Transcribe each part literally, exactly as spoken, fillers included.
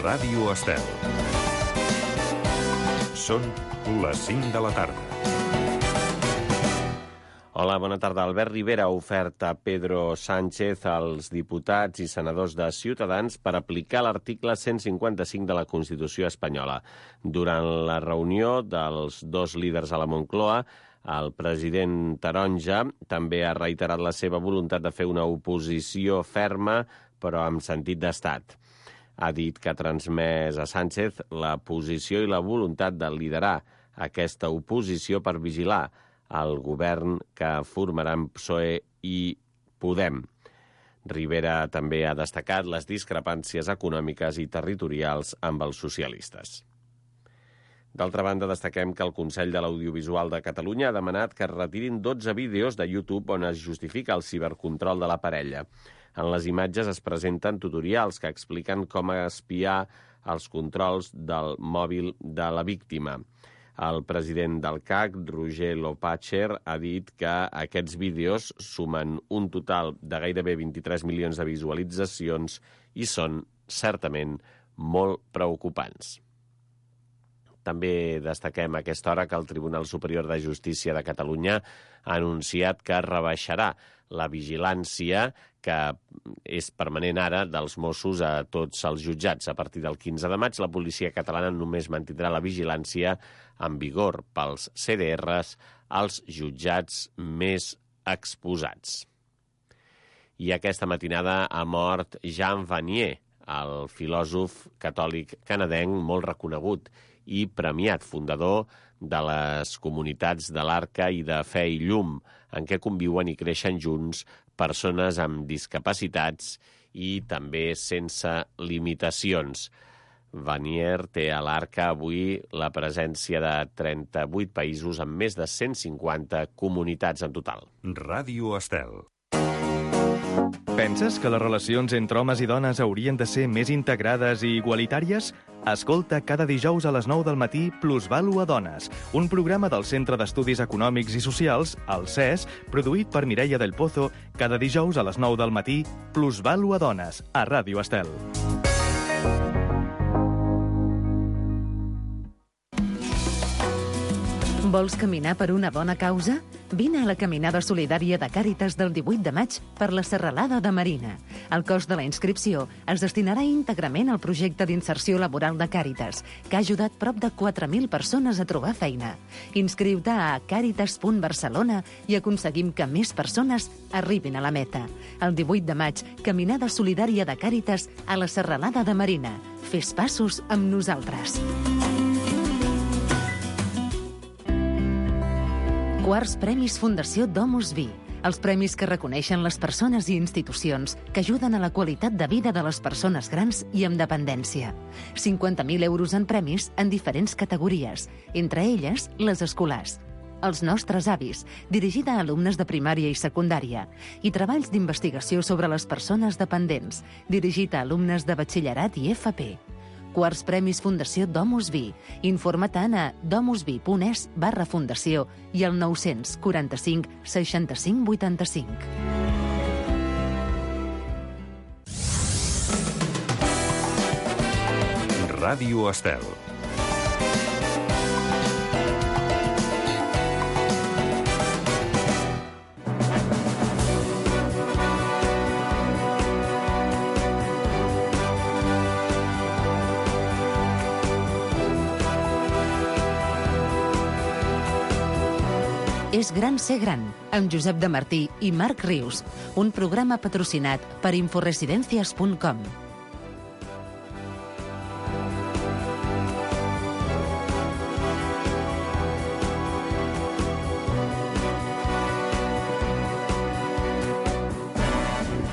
Ràdio Estel. Són les cinc de la tarda. Hola, bona tarda. Albert Rivera ha ofert a Pedro Sánchez als diputats i senadors de Ciutadans per aplicar l'article cent cinquanta-cinc de la Constitució espanyola. Durant la reunió dels dos líders a la Moncloa, el president Taronja també ha reiterat la seva voluntat de fer una oposició ferma, però amb sentit d'estat. Ha dit que ha transmès a Sánchez la posició i la voluntat de liderar aquesta oposició per vigilar el govern que formaran P S O E i Podem. Rivera també ha destacat les discrepàncies econòmiques i territorials amb els socialistes. D'altra banda, destaquem que el Consell de l'Audiovisual de Catalunya ha demanat que es retirin dotze vídeos de YouTube on es justifica el cibercontrol de la parella. En les imatges es presenten tutorials que expliquen com espiar els controls del mòbil de la víctima. El president del C A C, Roger Loppacher, ha dit que aquests vídeos sumen un total de gairebé vint-i-tres milions de visualitzacions i són certament molt preocupants. També destaquem a aquesta hora que el Tribunal Superior de Justícia de Catalunya ha anunciat que rebaixarà la vigilància que és permanent ara dels Mossos a tots els jutjats. A partir del quinze de maig, la policia catalana només mantindrà la vigilància en vigor pels C D Rs als jutjats més exposats. I aquesta matinada ha mort Jean Vanier, el filòsof catòlic canadenc molt reconegut i premiat, fundador de les comunitats de l'Arca i de Fe i Llum, en què conviuen i creixen junts persones amb discapacitats i també sense limitacions. Vanier té a l'Arca avui la presència de trenta-vuit països amb més de cent cinquanta comunitats en total. Ràdio Estel. Penses que les relacions entre homes i dones haurien de ser més integrades i igualitàries? Escolta cada dijous a les nou del matí Plusvàlua Dones, un programa del Centre d'Estudis Econòmics i Socials, el C E S, produït per Mireia del Pozo, cada dijous a les nou del matí Plusvàlua Dones, a Ràdio Estel. Vols caminar per una bona causa? Vine a la caminada solidària de Càritas del divuit de maig per la Serralada de Marina. El cost de la inscripció es destinarà íntegrament al projecte d'inserció laboral de Càritas, que ha ajudat prop de quatre mil persones a trobar feina. Inscriu-te a càritas punt barcelona i aconseguim que més persones arribin a la meta. El divuit de maig, caminada solidària de Càritas a la Serralada de Marina. Fes passos amb nosaltres. Quarts Premis Fundació Domus Vi. Els premis que reconeixen les persones i institucions que ajuden a la qualitat de vida de les persones grans i amb dependència. cinquanta mil euros en premis en diferents categories, entre elles les escolars. Els nostres avis, dirigida a alumnes de primària i secundària, i treballs d'investigació sobre les persones dependents, dirigit a alumnes de batxillerat i F P. Quarts Premis Fundació Domus Vi. Informa-te'n a domusvi.es barra fundació i al nou-cents quaranta-cinc seixanta-cinc vuitanta-cinc. Ràdio Estel. És gran ser gran, amb Josep de Martí i Marc Rius, un programa patrocinat per inforesidencias punt com.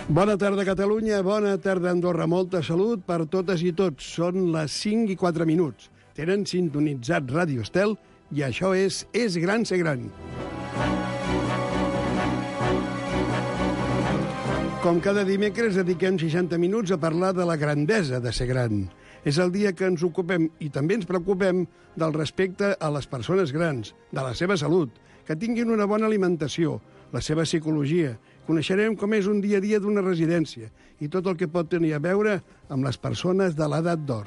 Bona tarda, Catalunya, bona tarda, Andorra. Molta salut per totes i tots. Són les cinc i quatre minuts. Tenen sintonitzat Ràdio Estel i això és És gran ser gran. Com cada dimecres, dediquem seixanta minuts a parlar de la grandesa de ser gran. És el dia que ens ocupem i també ens preocupem del respecte a les persones grans, de la seva salut, que tinguin una bona alimentació, la seva psicologia. Coneixerem com és un dia a dia d'una residència i tot el que pot tenir a veure amb les persones de l'edat d'or.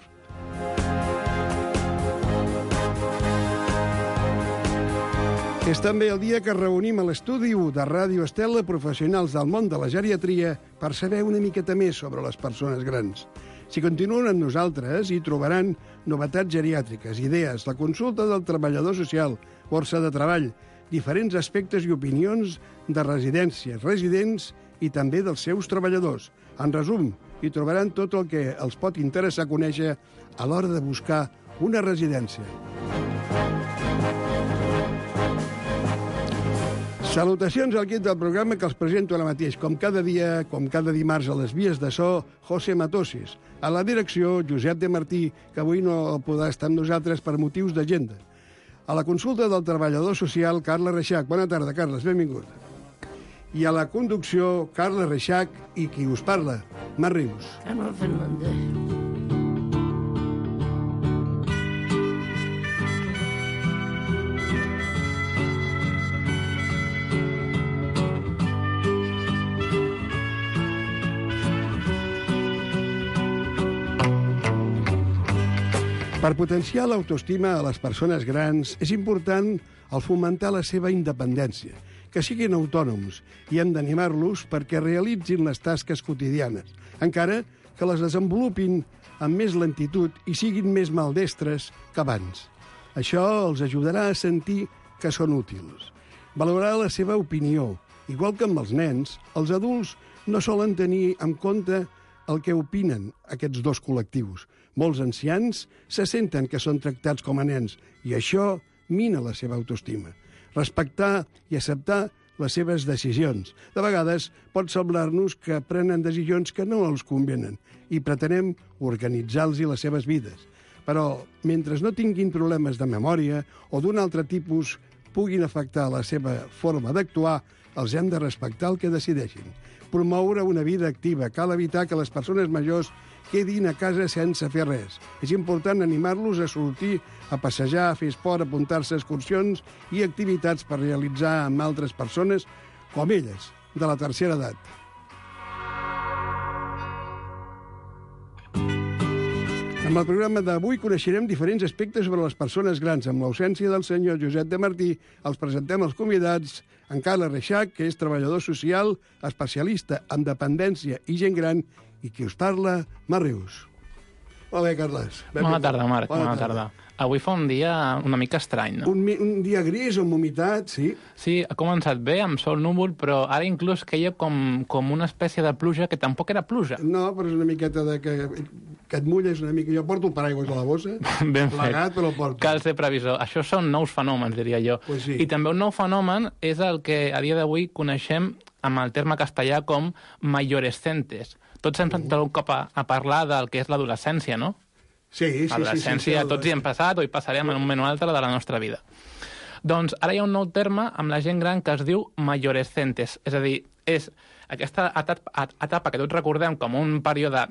És també el dia que reunim a l'estudi u de Ràdio Estel professionals del món de la geriatria per saber una miqueta més sobre les persones grans. Si continuen amb nosaltres, hi trobaran novetats geriàtriques, idees, la consulta del treballador social, borsa de treball, diferents aspectes i opinions de residències, residents i també dels seus treballadors. En resum, hi trobaran tot el que els pot interessar conèixer a l'hora de buscar una residència. Salutacions al equip del programa que els presento ara mateix. Com cada dia, com cada dimarts a les vies de so, José Matosis. A la direcció, Josep de Martí, que avui no podrà estar amb nosaltres per motius d'agenda. A la consulta del treballador social, Carles Reixac. Bona tarda, Carles, benvingut. I a la conducció, Carles Reixac i qui us parla, Mar Rius. Carles Fernández. Per potenciar l'autoestima a les persones grans és important el fomentar la seva independència, que siguin autònoms, i hem d'animar-los perquè realitzin les tasques quotidianes, encara que les desenvolupin amb més lentitud i siguin més maldestres que abans. Això els ajudarà a sentir que són útils. Valorar la seva opinió. Igual que amb els nens, els adults no solen tenir en compte el que opinen aquests dos col·lectius. Molts ancians se senten que són tractats com a nens i això mina la seva autoestima. Respectar i acceptar les seves decisions. De vegades pot semblar-nos que prenen decisions que no els convenen i pretenem organitzar-los les seves vides. Però mentre no tinguin problemes de memòria o d'un altre tipus puguin afectar la seva forma d'actuar, els hem de respectar el que decideixin. Promoure una vida activa. Cal evitar que les persones majors quedin a casa sense fer res. És important animar-los a sortir, a passejar, a fer esport, a apuntar-se a excursions i activitats per realitzar amb altres persones com elles, de la tercera edat. En el programa d'avui coneixerem diferents aspectes sobre les persones grans. Amb l'ausència del senyor Josep de Martí, els presentem els convidats en Carles Reixac, que és treballador social, especialista en dependència i gent gran, i qui us parla, Mar Rius. Molt bé, Carles. Bona tarda, Marc. Bona tarda. Avui fa un dia una mica estrany, no? Un, un dia gris, amb humitat, sí. Sí, ha començat bé, amb sol núvol, però ara inclús queia com, com una espècie de pluja que tampoc era pluja. No, però és una miqueta de que, que et mulles una mica. Jo porto el paraigües a la bossa, ben plegat, però el porto. Cal ser previsor. Això són nous fenòmens, diria jo. Pues sí. I també un nou fenomen és el que a dia d'avui coneixem amb el terme castellà com majorescentes. Tots hem sentit algun cop a, a parlar del que és l'adolescència, no? Sí, sí, sí. L'adolescència, sí, sí, tots hi hem passat o hi passarem en un moment o altre de la nostra vida. Doncs ara hi ha un nou terme amb la gent gran que es diu majorescentes. És a dir, és aquesta etapa, etapa que tots recordem com un període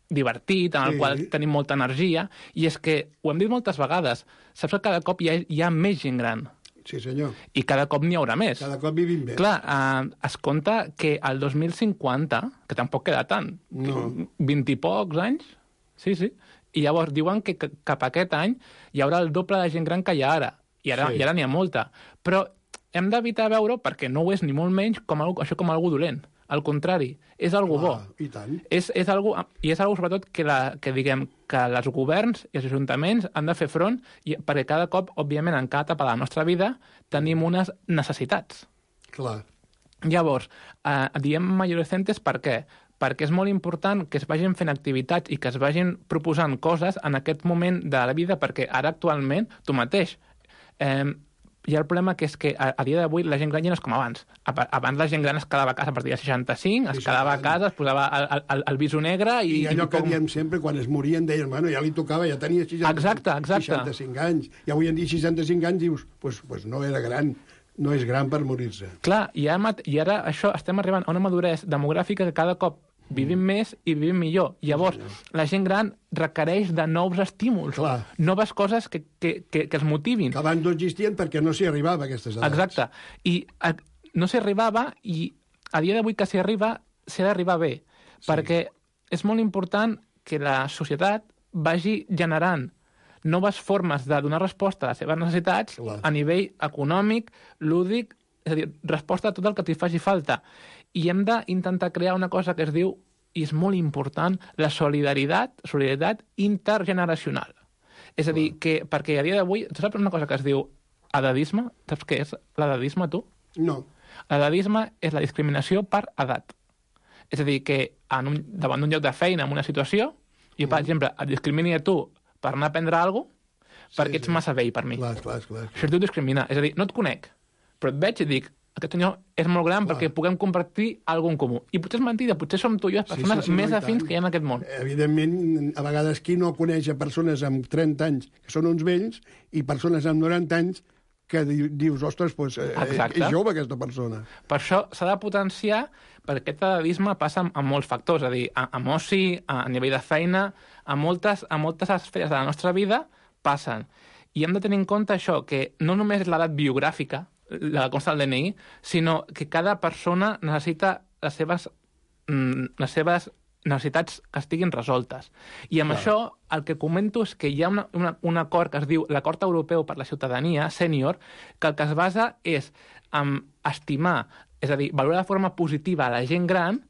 divertit, en el sí. qual tenim molta energia, i és que, ho hem dit moltes vegades, saps que cada cop hi ha, hi ha més gent gran. Sí, senyor. I cada cop n'hi haurà més. Cada cop vivim bé. Clar, eh, es compta que el dos mil cinquanta, que tampoc queda tant, no. vint i pocs anys, sí, sí, i llavors diuen que cap a aquest any hi haurà el doble de gent gran que hi ha ara, i ara sí. i ara n'hi ha molta. Però hem d'evitar veure, perquè no ho és ni molt menys, com algo, això com algo dolent. Al contrari, és algo bo. I tant. És, és algo, I és algo, sobretot, que, la, que diguem que els governs i els ajuntaments han de fer front, i, perquè cada cop, òbviament, en cada etapa de la nostra vida, tenim unes necessitats. Clar. Llavors, eh, diem majorescentes per què? Perquè és molt important que es vagin fent activitats i que es vagin proposant coses en aquest moment de la vida, perquè ara actualment, tu mateix, eh, hi ha el problema que és que a, a dia d'avui la gent gran ja no és com abans. Abans la gent gran es quedava a casa a partir de seixanta-cinc, es quedava a casa, es posava el, el, el viso negre i... I allò i que com... diem sempre, quan es morien, deien, bueno, ja li tocava, ja tenia seixanta-cinc, exacte, exacte. seixanta-cinc anys. I avui en dia seixanta-cinc anys dius, pues, pues no era gran, no és gran per morir-se. Clar, i ara, i ara això estem arribant a una maduresa demogràfica que cada cop vivim més i vivim millor. Llavors, la gent gran requereix de nous estímuls, Clar. noves coses que, que, que, que es motivin. Que abans no existien perquè no s'hi arribava a aquestes edats. Exacte. I a, no s'hi arribava, i a dia d'avui que s'hi arriba, s'hi ha d'arribar bé. Sí. Perquè és molt important que la societat vagi generant noves formes de donar resposta a les seves necessitats Clar. a nivell econòmic, lúdic, és a dir, resposta a tot el que t'hi faci falta. I hem d'intentar crear una cosa que es diu, i és molt important, la solidaritat, solidaritat intergeneracional. És a dir, que, perquè a dia d'avui, tu saps una cosa que es diu edadisme? Saps què és l'edadisme, tu? No. L'edadisme és la discriminació per edat. És a dir, que en un, davant d'un lloc de feina, en una situació, jo, per exemple, et discrimini a tu per anar a prendre alguna cosa perquè Sí, ets sí. massa vell per mi. Clar, clar, clar. Això es diu discriminar. És a dir, no et conec, però et veig i dic, aquest senyor és molt gran Clar. perquè puguem compartir alguna en comú. I potser és mentida, potser som tu i jo les persones sí, sí, més no, i afins tant. que hi ha en aquest món. Evidentment, a vegades qui no coneix a persones amb trenta anys que són uns vells i persones amb noranta anys que di dius, ostres, doncs, eh, Exacte. és jove aquesta persona. Per això s'ha de potenciar, perquè aquest edadisme passa amb, amb molts factors, és a dir, a, amb oci, a, a nivell de feina, a moltes, a moltes esferes de la nostra vida passen. I hem de tenir en compte això, que no només és l'edat biogràfica, la que consta al D N I, sinó que cada persona necessita les seves, mm, les seves necessitats que estiguin resoltes. I amb Clar. això el que comento és que hi ha una, una, un acord que es diu l'Acord Europeu per la Ciutadania, sènior, que el que es basa és en estimar, és a dir, valorar de forma positiva a la gent gran,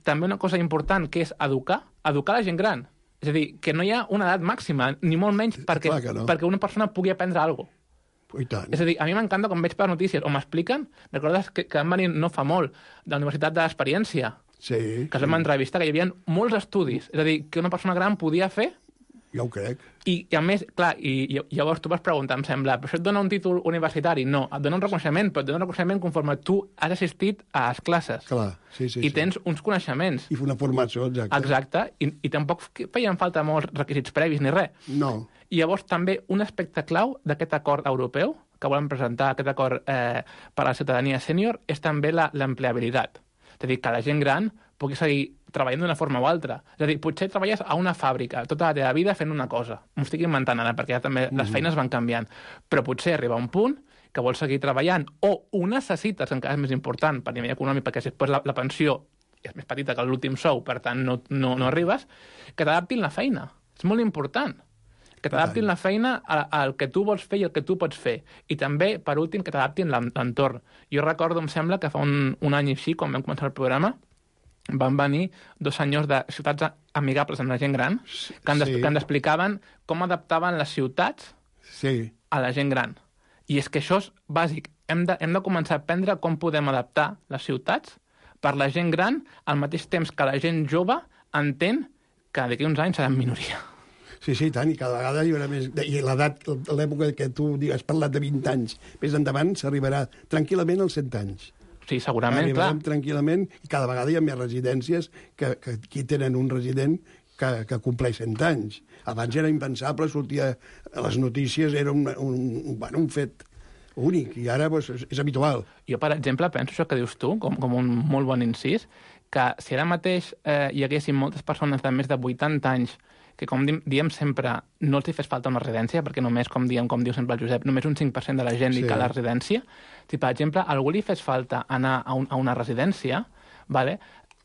també una cosa important, que és educar, educar la gent gran. És a dir, que no hi ha una edat màxima, ni molt menys perquè, clar que no. perquè una persona pugui aprendre alguna cosa. I tant. És a dir, a mi m'encanta quan veig per notícies o m'expliquen, recordes que, que van venir no fa molt de la Universitat de l'Experiència, Sí, que es vam entrevistar, que hi havia molts estudis, és a dir, que una persona gran podia fer, ja ho crec. i, i a més, clar, i, i llavors tu vas preguntar, em sembla, però això et dona un títol universitari? No, et dona un reconeixement, però et dona un reconeixement conforme tu has assistit a les classes. Clar, sí, sí. I sí. tens uns coneixements. I una formació, exacte. Exacte, i, i tampoc feien falta molts requisits previs ni res. No. I llavors també un aspecte clau d'aquest acord europeu, que volen presentar aquest acord eh, per a la ciutadania sènior, és també l'empleabilitat. És a dir, que la gent gran pugui seguir treballant d'una forma o altra. És a dir, potser treballes a una fàbrica tota la teva vida fent una cosa. M'ho estic inventant ara, perquè ja també les feines van canviant. Però potser arriba un punt que vols seguir treballant o ho necessites, encara és més important per nivell econòmic, perquè després la, la pensió és més petita que l'últim sou, per tant no, no, no arribes, que t'adaptin la feina. És molt important. Que t'adaptin la feina al que tu vols fer i el que tu pots fer. I també, per últim, que t'adaptin l'entorn. Jo recordo, em sembla, que fa un, un any i així, quan vam començar el programa, van venir dos senyors de ciutats amigables amb la gent gran, que ens, Sí. que ens explicaven com adaptaven les ciutats Sí. a la gent gran. I és que això és bàsic. Hem de, hem de començar a aprendre com podem adaptar les ciutats per la gent gran al mateix temps que la gent jove entén que d'aquí uns anys seran minoria. Sí, sí, tant, i cada vegada hi haurà més... I l'edat, l'època que tu has parlat de vint anys, més endavant s'arribarà tranquil·lament als cent anys. Sí, segurament, clar. Arribarem tranquil·lament i cada vegada hi ha més residències que, que aquí tenen un resident que, que compleix cent anys. Abans era impensable, sortia a les notícies, era un, un, bueno, un fet únic, i ara pues, és, és habitual. Jo, per exemple, penso això que dius tu, com, com un molt bon incís, que si ara mateix eh, hi haguessin moltes persones de més de vuitanta anys que, com di diem sempre, no els hi fes falta una residència, perquè només, com diem, com diu sempre el Josep, només un cinc per cent de la gent li Sí. cal la residència. Si, per exemple, a algú li fes falta anar a, un, a una residència, vale?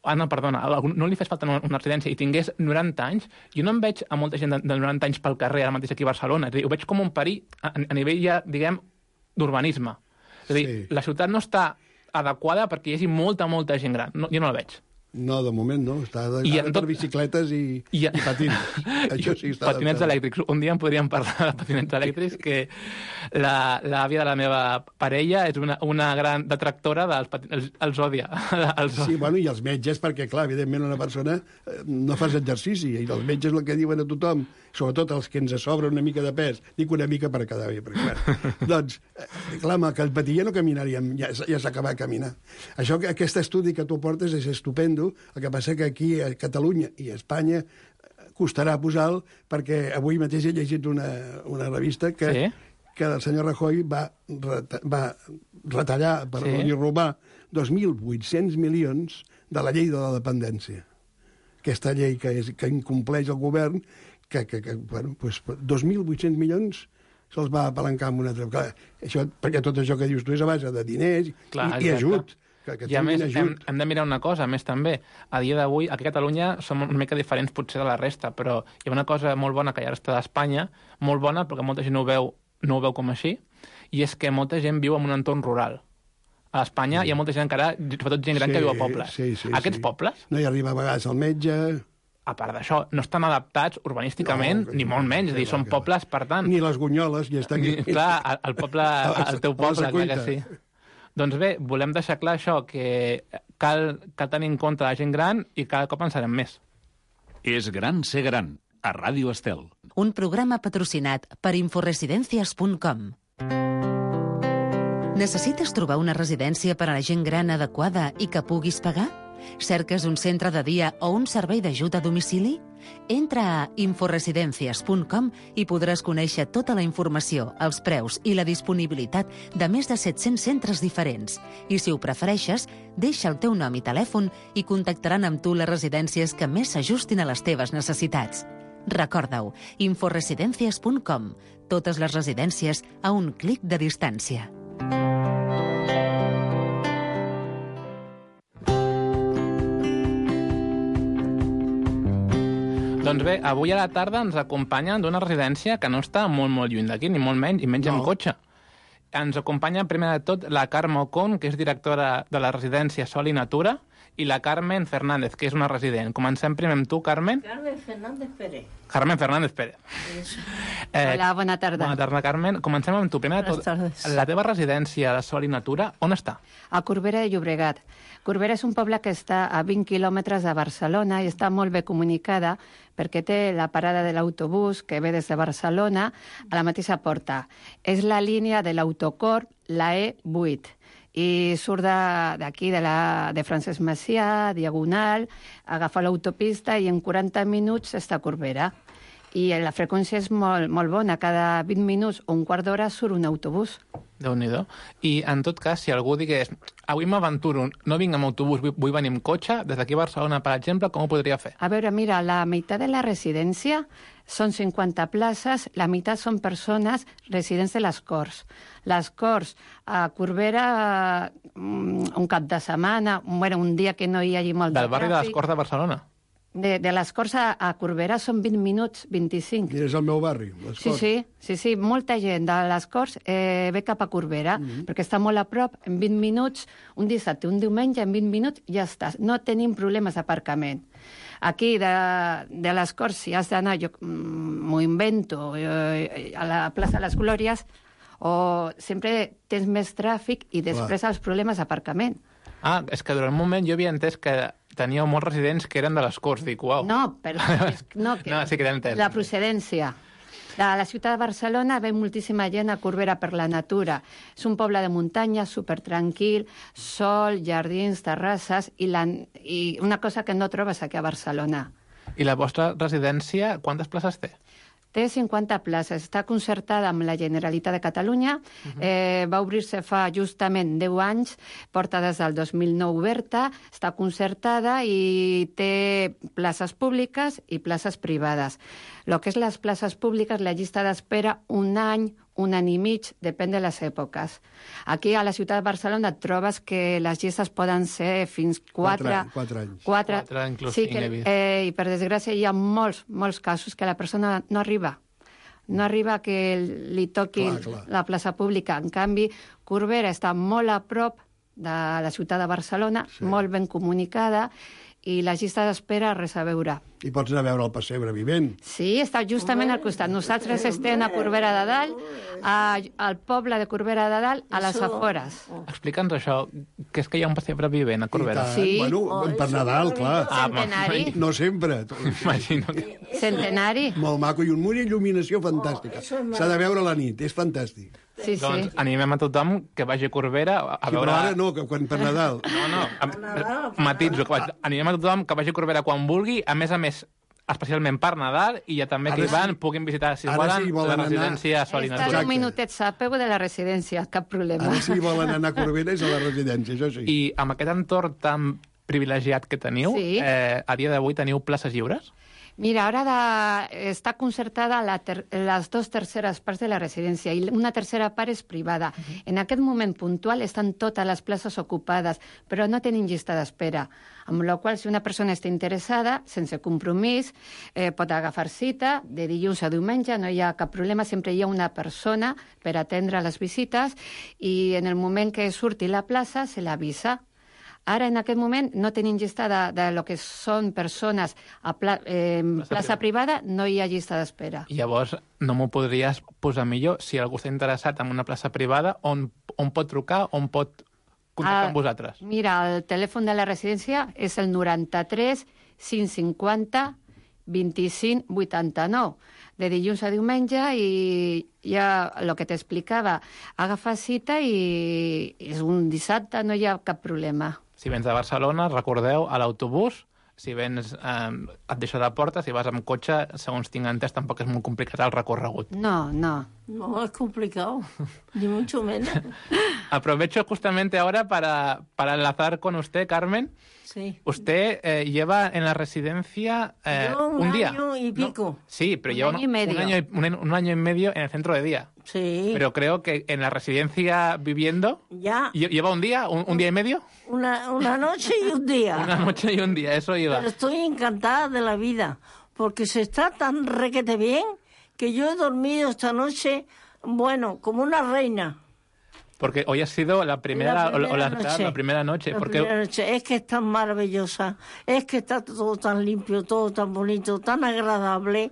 Ah, no, perdona, a algú no li fes falta una, una residència i tingués noranta anys, jo no em veig a molta gent de, de noranta anys pel carrer ara mateix aquí a Barcelona. És a dir, ho veig com un perill a, a nivell ja, diguem, d'urbanisme. És a dir, Sí. la ciutat no està adequada perquè hi hagi molta, molta gent gran. No, jo no la veig. No, de moment no, està de, I I en tot... tot- per bicicletes i, I, i patins. Això sí està patinets adaptat. elèctrics. Un dia en podríem parlar de patinets elèctrics, que la- l'àvia de la meva parella és una, una gran detractora dels patinets, els, els odia. Els Sí, bueno, i els metges, perquè, clar, evidentment una persona eh, no fas exercici, i els metges el que diuen a tothom, sobretot els que ens sobra una mica de pes, dic una mica per quedar bé, perquè, bueno, doncs, eh, clar, amb el que el patia no caminaríem, ja, ja s'ha acabat de caminar. Això, que- aquest estudi que tu portes és estupendo, el que passa que aquí a Catalunya i a Espanya eh, costarà posar-lo, perquè avui mateix he llegit una, una revista que, Sí. que el senyor Rajoy va, reta, va retallar, per Sí. no dir robar, dos mil vuit-cents milions de la llei de la dependència. Aquesta llei que, és, que incompleix el govern, que, que, que bueno, pues, dos mil vuit-cents milions se'ls va apalancar amb una altra... Clar, això, perquè tot això que dius tu és a base de diners Clar, i, i exacte. ajut. que, que I a més, hem, ajut. hem de mirar una cosa, a més també, a dia d'avui, aquí a Catalunya som una mica diferents potser de la resta, però hi ha una cosa molt bona que ja està d'Espanya, molt bona, perquè molta gent no ho veu, no ho veu com així, i és que molta gent viu en un entorn rural. A Espanya sí. hi ha molta gent encara, sobretot gent gran, sí, que viu a pobles. Sí, sí, Aquests sí. pobles, no hi arriba a vegades el metge... a part d'això, no estan adaptats urbanísticament, No, ni molt menys, és a dir, són pobles, per tant... Ni les gunyoles, ja està aquí. Ni, clar, el, el poble, el teu poble, clar que sí. Doncs bé, volem deixar clar això, que cal, cal tenir en compte la gent gran i cada cop en serem més. És gran ser gran, a Ràdio Estel. Un programa patrocinat per inforesidencias punt com. Necessites trobar una residència per a la gent gran adequada i que puguis pagar? Cerques un centre de dia o un servei d'ajut a domicili? Entra a inforesidencias punt com i podràs conèixer tota la informació, els preus i la disponibilitat de més de set-cents centres diferents. I si ho prefereixes, deixa el teu nom i telèfon i contactaran amb tu les residències que més s'ajustin a les teves necessitats. Recorda-ho, inforesidencias punt com. Totes les residències a un clic de distància. Doncs bé, avui a la tarda ens acompanyen d'una residència que no està molt, molt lluny d'aquí, ni molt menys, i menys no. en cotxe. Ens acompanya, primer de tot, la Carme Ocon, que és directora de la residència Sol i Natura, i la Carmen Fernández, que és una resident. Comencem primer amb tu, Carmen. Carmen Fernández Pérez. Carmen Fernández Pérez. Eh, Hola, bona tarda. Bona tarda, Carmen. Comencem amb tu. Primer de tot, la teva residència de Sol i Natura, on està? A Corbera de Llobregat. Corbera és un poble que està a vint quilòmetres de Barcelona i està molt bé comunicada perquè té la parada de l'autobús que ve des de Barcelona a la mateixa porta. És la línia de l'autocorp, la E vuit. I surt d'aquí, de, de, la, de Francesc Macià, Diagonal, agafa l'autopista i en quaranta minuts està a Corbera. I la freqüència és molt, molt bona. Cada vint minuts o un quart d'hora surt un autobús. Déu-n'hi-do. I, en tot cas, si algú digués avui m'aventuro, no vinc amb autobús, vull, vull venir amb cotxe, des d'aquí a Barcelona, per exemple, com ho podria fer? A veure, mira, la meitat de la residència són cinquanta places, la meitat són persones residents de les Corts. Les Corts a Corbera, un cap de setmana, bueno, un dia que no hi hagi molt de tràfic. Del barri de les Corts de Barcelona? De, de les Corts a, a Corbera són vint minuts, vint-i-cinc. I és el meu barri, les sí, Corts. Sí, sí, sí, molta gent de les Corts eh, ve cap a Corbera, mm-hmm. perquè està molt a prop, en vint minuts, un dissabte, un diumenge, en vint minuts ja estàs. No tenim problemes d'aparcament. Aquí, de, de les Corts, si has d'anar, jo m'ho invento, eh, a la plaça de les Glòries, o sempre tens més tràfic i després Clar. els problemes d'aparcament. Ah, és que durant un moment jo havia entès que teníeu molts residents que eren de les Corts. Dic, uau. No, però... No, que no, sí que t'he entès. La procedència. De la ciutat de Barcelona ve moltíssima gent a Corbera per la natura. És un poble de muntanya, supertranquil, sol, jardins, terrasses, i, la, i una cosa que no trobes aquí a Barcelona. I la vostra residència, quantes places té? Té cinquanta places. Està concertada amb la Generalitat de Catalunya. Uh-huh. eh, va obrir-se fa justament deu anys, porta des del dos mil nou oberta, està concertada i té places públiques i places privades. El que és les places públiques, la llista d'espera, un any, un any i mig, depèn de les èpoques. Aquí a la ciutat de Barcelona et trobes que les llistes poden ser fins quatre... Quatre, quatre anys. Quatre, quatre inclús sí, que, eh, i per desgràcia hi ha molts, molts casos que la persona no arriba. No arriba que li toqui clar, clar. la plaça pública. En canvi, Corbera està molt a prop de la ciutat de Barcelona, sí. molt ben comunicada, i la llista d'espera res a veure. I pots anar a veure el pessebre vivent. Sí, està justament al costat. Nosaltres estem a Corbera de Dalt, a, al poble de Corbera de Dalt, a les afores. Explica'ns això, que és que hi ha un pessebre vivent a Corbera. Sí. Bueno, per Nadal, clar. Centenari. Ah, no sempre. Imagino que... Centenari. Molt maco, i una il·luminació fantàstica. S'ha de veure a la nit, és fantàstic. Sí, sí. Doncs animem a tothom que vagi a Corbera a sí, veure... Però ara no, que quan per Nadal. No, no, a... matitzo. Que vaig... Animem a tothom que vagi a Corbera quan vulgui, a més a més, especialment per Nadal, i ja també que hi van, sí. puguin visitar, si volen, sí la residència Sol i Natura. Està un minutet a peu de la residència, cap problema. Ara si volen anar a Corbera és a la residència, això sí. I amb aquest entorn tan privilegiat que teniu, sí. eh, a dia d'avui teniu places lliures? Mira, ara de, està concertada la ter, les dues terceres parts de la residència i una tercera part és privada. Uh-huh. En aquest moment puntual estan totes les places ocupades, però no tenim llista d'espera. Amb la qual, si una persona està interessada, sense compromís, eh, pot agafar cita de dilluns a diumenge, no hi ha cap problema, sempre hi ha una persona per atendre les visites i en el moment que surti la plaça se l'avisa. Ara, en aquest moment, no tenim llista de, de lo que són persones a pla, eh, plaça, plaça privada, no hi ha llista d'espera. Llavors, no m'ho podries posar millor si algú està interessat en una plaça privada, on, on pot trucar, on pot contactar ah, amb vosaltres? Mira, el telèfon de la residència és el noranta-tres cinc cinquanta vint-i-cinc vuitanta-nou. De dilluns a diumenge i ja el que t'explicava, agafa cita i és un dissabte, no hi ha cap problema. Si vens de Barcelona, recordeu, a l'autobús, si vens, eh, et deixa de porta, si vas amb cotxe, segons tinc entès, tampoc és molt complicat el recorregut. No, no. No, es complicado, ni mucho menos. Aprovecho justamente ahora para, para enlazar con usted, Carmen. Sí. Usted eh, lleva en la residencia eh, Yo un, un día. año y pico. ¿No? Sí, pero un lleva año y medio. Un, año, un, un año y medio en el centro de día. Sí. Pero creo que en la residencia viviendo... Ya. ¿Lleva un día? ¿Un, un día y medio? Una, una noche y un día. Una noche y un día, eso iba. Pero estoy encantada de la vida, porque se está tan requete bien que yo he dormido esta noche, bueno, como una reina. Porque hoy ha sido la primera, la primera, o la, noche, la primera noche. La porque... primera noche. Es que es tan maravillosa, es que está todo tan limpio, todo tan bonito, tan agradable.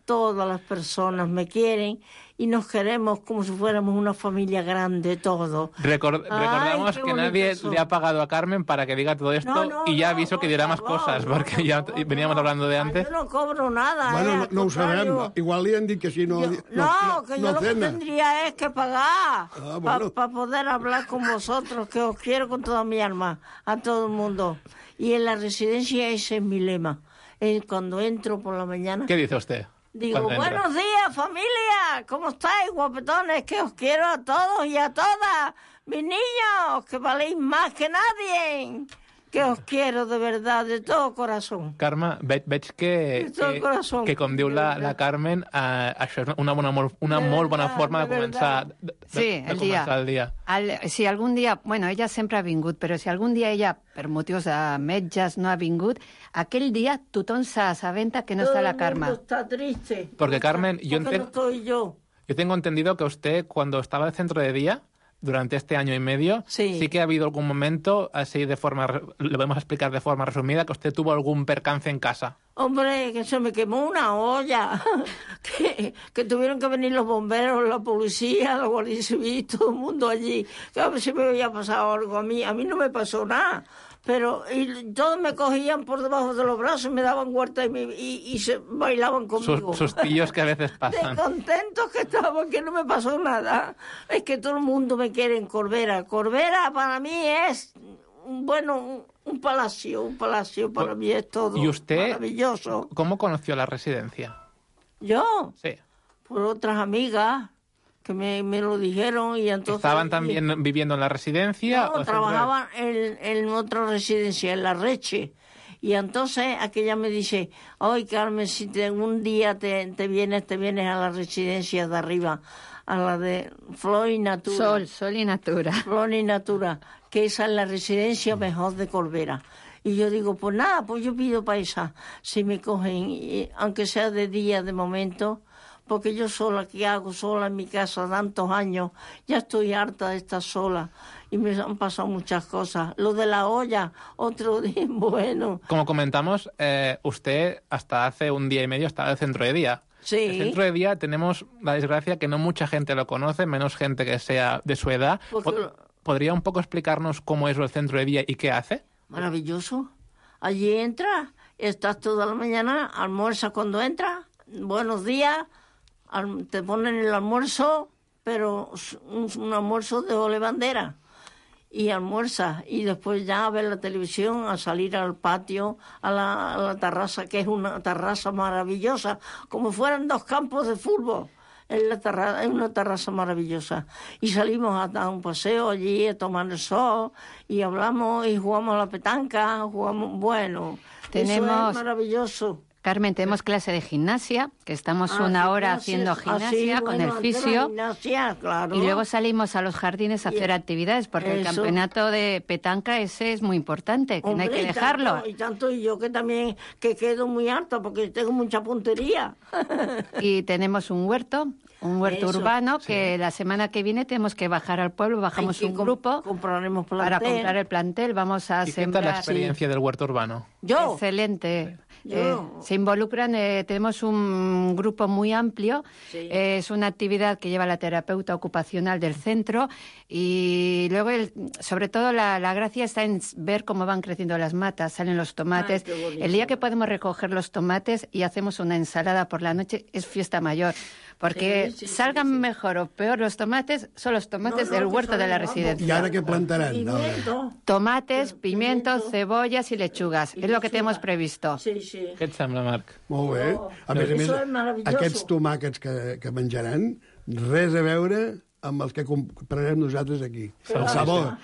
Todas las personas me quieren y nos queremos como si fuéramos una familia grande, todos. Record, Ay, recordamos que nadie eso. le ha pagado a Carmen para que diga todo esto no, no, y ya no, aviso que dirá más favor, cosas, no, porque no, ya no, veníamos no. hablando de antes. Yo no cobro nada. Bueno, eh, no, no ho sabem. Igual li han dit que si no... Yo, no, no, no, que no yo lo que cena. tendría es que pagar Ah, para bueno. pa poder hablar con vosotros, que os quiero con toda mi alma, a todo el mundo. Y en la residencia ese es mi lema. Eh, cuando entro por la mañana... ¿Qué dice usted? Digo, buenos días, familia, ¿cómo estáis, guapetones? Que os quiero a todos y a todas, mis niños, que valéis más que nadie, que os quiero de verdad, de todo corazón. Carme, veig, veig que, que, corazón, que, com diu la, la Carmen, eh, això és una, bona, molt, una de molt bona verdad, forma de, de començar, de, de, Sí, de el començar dia. el dia. El, si algun dia... Bueno, ella sempre ha vingut, però si algun dia ella, per motius de metges, no ha vingut, aquell dia tothom s'assabenta que no todo està la el Carme. mundo está triste. Porque, Carmen, yo, Porque enten- no estoy yo. yo tengo entendido que usted, cuando estaba en el centro de día, durante este año y medio, Sí. sí que ha habido algún momento, así de forma, re- le podemos explicar de forma resumida, que usted tuvo algún percance en casa. Hombre, que se me quemó una olla, que, que tuvieron que venir los bomberos, la policía, la Guardia Civil, todo el mundo allí. Que a ver si me había pasado algo a mí. A mí no me pasó nada. Pero y todos me cogían por debajo de los brazos, me daban vueltas y, me- y, y se bailaban conmigo. Sus, sus tíos que a veces De pasan. contentos que estaban, que no me pasó nada. Es que todo el mundo me quiere en Corbera. Corbera para mí es, un- bueno, un, un palacio, un palacio para mí es todo ¿Y usted maravilloso. cómo conoció la residencia? Yo, Sí. por otras amigas que me, me lo dijeron y entonces... ¿Estaban también viviendo en la residencia? No, o trabajaban en, en otra residencia, en La Reche. Y entonces aquella me dice, ay, Carmen, si te, un día te, te vienes, te vienes a la residencia de arriba, a la de Flor y Natura. Sol, sol i natura. Flor y Natura, que esa es la residencia mejor de Corbera. Y yo digo, pues nada, pues yo pido para esa, si me cogen, y, aunque sea de día, de momento, porque yo sola, ¿qué hago sola en mi casa tantos años? Ya estoy harta de estar sola y me han pasado muchas cosas. Lo de la olla, otro día, bueno. Como comentamos, eh, usted hasta hace un día y medio estaba en el centro de día. Sí. El centro de día tenemos la desgracia que no mucha gente lo conoce, menos gente que sea de su edad. Porque- Po- ¿Podría un poco explicarnos cómo es el centro de día y qué hace? Maravilloso. Allí entras, estás toda la mañana, almuerzas cuando entras, buenos días, al- te ponen el almuerzo, pero es un, un almuerzo de ole bandera. Y almuerzas, y después ya a ver la televisión, a salir al patio, a la, a la terraza, que es una terraza maravillosa, como fueran dos campos de fútbol. Es, la terra- es una terraza maravillosa. Y salimos a dar un paseo allí, a tomar el sol, y hablamos y jugamos a la petanca, jugamos, bueno, eso Tenemos- es maravilloso. Carmen, tenemos clase de gimnasia, que estamos Ah, una hora gimnasia, haciendo ah, sí, gimnasia con bueno, el antes la fisio. gimnasia, claro. Y luego salimos a los jardines a hacer actividades, porque el Eso. campeonato de petanca ese es muy importante, que Hombre, no hay que y dejarlo. Tanto, y tanto y yo que también que quedo muy alta porque tengo mucha puntería. Y tenemos un huerto, un huerto Eso, urbano, que la semana que viene tenemos que bajar al pueblo, bajamos Hay que un com- grupo compraremos para plantel. comprar el plantel, vamos a ¿Y qué sembrar... tal la experiencia del huerto urbano? Yo, Excelente. Yo. Eh, se involucran, eh, tenemos un grupo muy amplio, Sí. eh, es una actividad que lleva la terapeuta ocupacional del centro y luego, el- sobre todo, la, la gracia está en ver cómo van creciendo las matas, salen los tomates. Ay, qué bonito. El día que podemos recoger los tomates y hacemos una ensalada por la noche es fiesta mayor, porque Sí, sí, sí, salgan sí. mejor o peor los tomates, son los tomates No, no, del que huerto de la salen residencia. ¿Y ahora qué plantarán? No, pimiento. Tomates, Pimiento. pimientos, cebollas y lechugas. Y es lo que lechuga. tenemos previsto. Sí, sí. Què et sembla, Marc? Molt bé. Oh, A més a més, això és meravelloso. aquests tomàquets que, que menjaran, res a veure amb els que comprarem nosaltres aquí. El sabor.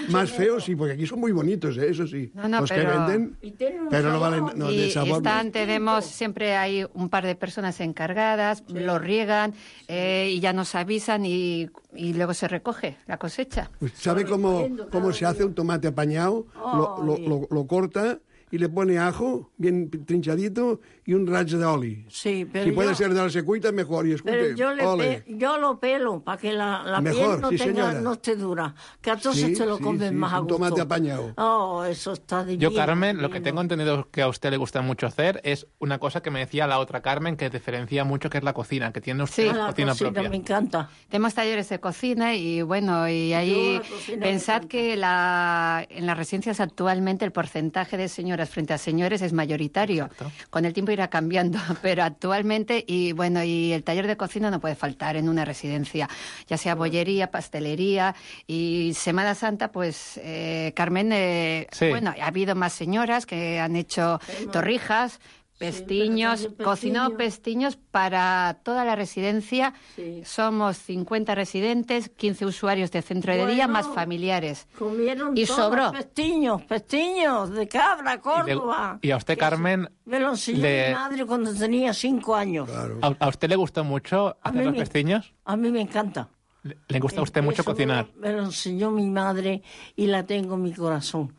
Más feos, sí, porque aquí son muy bonitos, ¿eh? Eso sí. No, no, Los pero- que venden, Y tienen un pero no sabor. valen... No, y de sabor, no. están, tenemos, siempre hay un par de personas encargadas, lo riegan eh, y ya nos avisan y, y luego se recoge la cosecha. Pues, ¿sabe cómo, cómo se hace un tomate apañado? Lo, lo, lo, lo corta y le pone ajo, bien trinchadito, y un rayo de oli. Sí, pero si puede yo- ser de la secuita, mejor. Y Pero escuche, yo, le ole. pe- yo lo pelo para que la, la Mejor, piel no, sí, tenga, señora. no esté dura. Que entonces Sí, te lo sí, comes sí, más a un gusto. tomate apañado. Oh, eso está divino. Yo, Carmen, lo que divino. tengo entendido que a usted le gusta mucho hacer es una cosa que me decía la otra Carmen, que diferencia mucho, que es la cocina, que tiene usted Sí. Ah, una la cocina, cocina propia. me encanta. Tenemos talleres de cocina y bueno, y ahí la cocina me pensad encanta. que la, en las residencias actualmente el porcentaje de señoras frente a señores es mayoritario. Exacto. Con el tiempo irá cambiando, pero actualmente, y bueno, y el taller de cocina no puede faltar en una residencia, ya sea bollería, pastelería, y Semana Santa, pues, eh, Carmen, eh, Sí. bueno, ha habido más señoras que han hecho torrijas, pestiños, pero también cocinado pestiños. pestiños para toda la residencia. Sí. Somos cincuenta residentes, quince usuarios de centro de día, Bueno. más familiares. Comieron Y todos sobró. pestiños, pestiños de cabra, Y, de- Córdoba. y a usted, Carmen, Me lo enseñó le- mi madre cuando tenía cinco años. Claro. ¿a, a usted le gustó mucho A hacer mí los me- pestiños? A mí me encanta. ¿Le, le gusta a usted mucho Eso cocinar? Me lo, me lo enseñó mi madre y la tengo en mi corazón.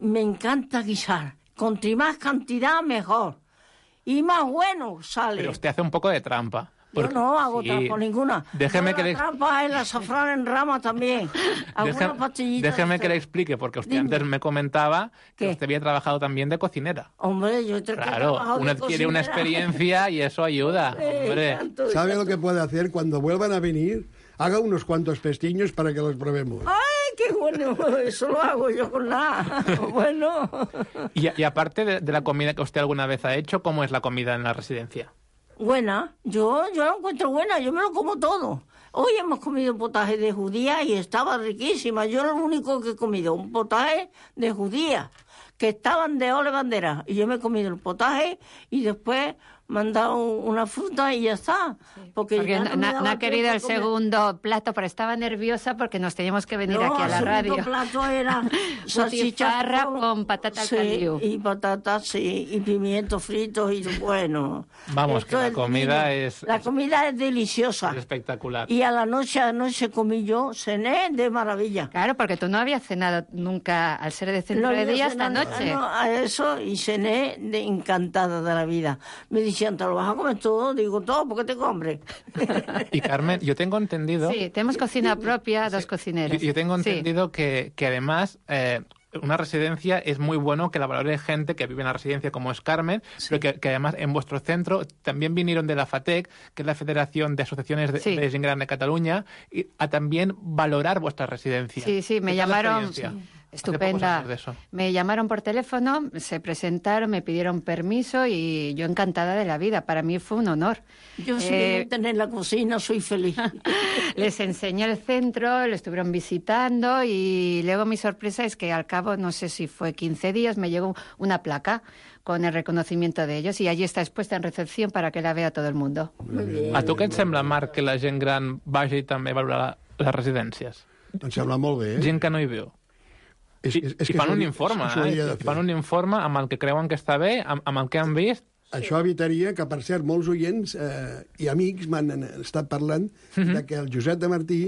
Me encanta guisar. Contra más cantidad, mejor. Y más bueno sale. Pero usted hace un poco de trampa. Yo porque- no hago sí. trampa ninguna. Déjeme Yo que la le... trampa es el azafrán en rama también. Alguna Déjeme, pastillita déjeme de que le cera. explique, porque usted Dime. antes me comentaba que ¿Qué? usted había trabajado también de cocinera. Hombre, yo te he Claro, trabajado uno de adquiere una cocinera. experiencia y eso ayuda. Eh, Hombre. tanto, ¿Sabe tanto. lo que puede hacer cuando vuelvan a venir? Haga unos cuantos pestiños para que los probemos. ¡Ay, qué bueno! Eso lo hago yo con nada. Bueno. Y, y aparte de, de la comida que usted alguna vez ha hecho, ¿cómo es la comida en la residencia? Buena. Yo, yo la encuentro buena. Yo me lo como todo. Hoy hemos comido potaje de judía y estaba riquísima. Yo lo único que he comido, un potaje de judía, que estaban de ole bandera. Y yo me he comido el potaje y después me han dado una fruta y ya está. Porque, Porque ya no, no, me no daba ha querido el tiempo a comer. segundo plato, pero estaba nerviosa porque nos teníamos que venir No, aquí a la el segundo radio. plato era Butifarra salchicha con patata al sí, caliu. y patatas, sí, y pimientos fritos y bueno. Vamos, Esto que la es comida divino. es- La comida es deliciosa. Es espectacular. Y a la noche, a la noche comí yo, cené de maravilla. Claro, porque tú no habías cenado nunca al ser de centro No de había día esta cenado, noche. no, a eso y cené de encantada de la vida. Me decían, ¿te lo vas a comer todo? Digo, todo, porque tengo hambre. Y Carmen, yo tengo entendido... Sí, tenemos cocina propia, dos Yo, cocineros. yo tengo Sí. entendido que, que además eh, una residencia es muy bueno que la valore gente que vive en la residencia como es Carmen, pero que, que además en vuestro centro también vinieron de la FATEC, que es la Federación de Asociaciones de, Sí. de Gent Gran de Cataluña, y a también valorar vuestra residencia. Sí, sí, me ¿Qué tal la llamaron. experiencia? Hace poco Estupenda. sabemos de eso. Me llamaron por teléfono, se presentaron, me pidieron permiso y yo encantada de la vida. Para mí fue un honor. Yo si Eh, me meten en la cocina soy feliz. Les enseñé el centro, lo estuvieron visitando y luego mi sorpresa es que al cabo, no sé si fue quince días, me llegó una placa con el reconocimiento de ellos y allí está expuesta en recepción para que la vea todo el mundo. A tu què et sembla, Marc, que la gent gran vagi també a valorar les residències? Em sembla molt bé. Gent que no hi viu. És, I, és, és i que fan això- un informe, això eh? hauria de I fer. fan un informe amb el que creuen que està bé, amb, amb el que han vist. Això evitaria que, per cert, molts oients eh, i amics m'han estat parlant Mhm. de que el Josep de Martí,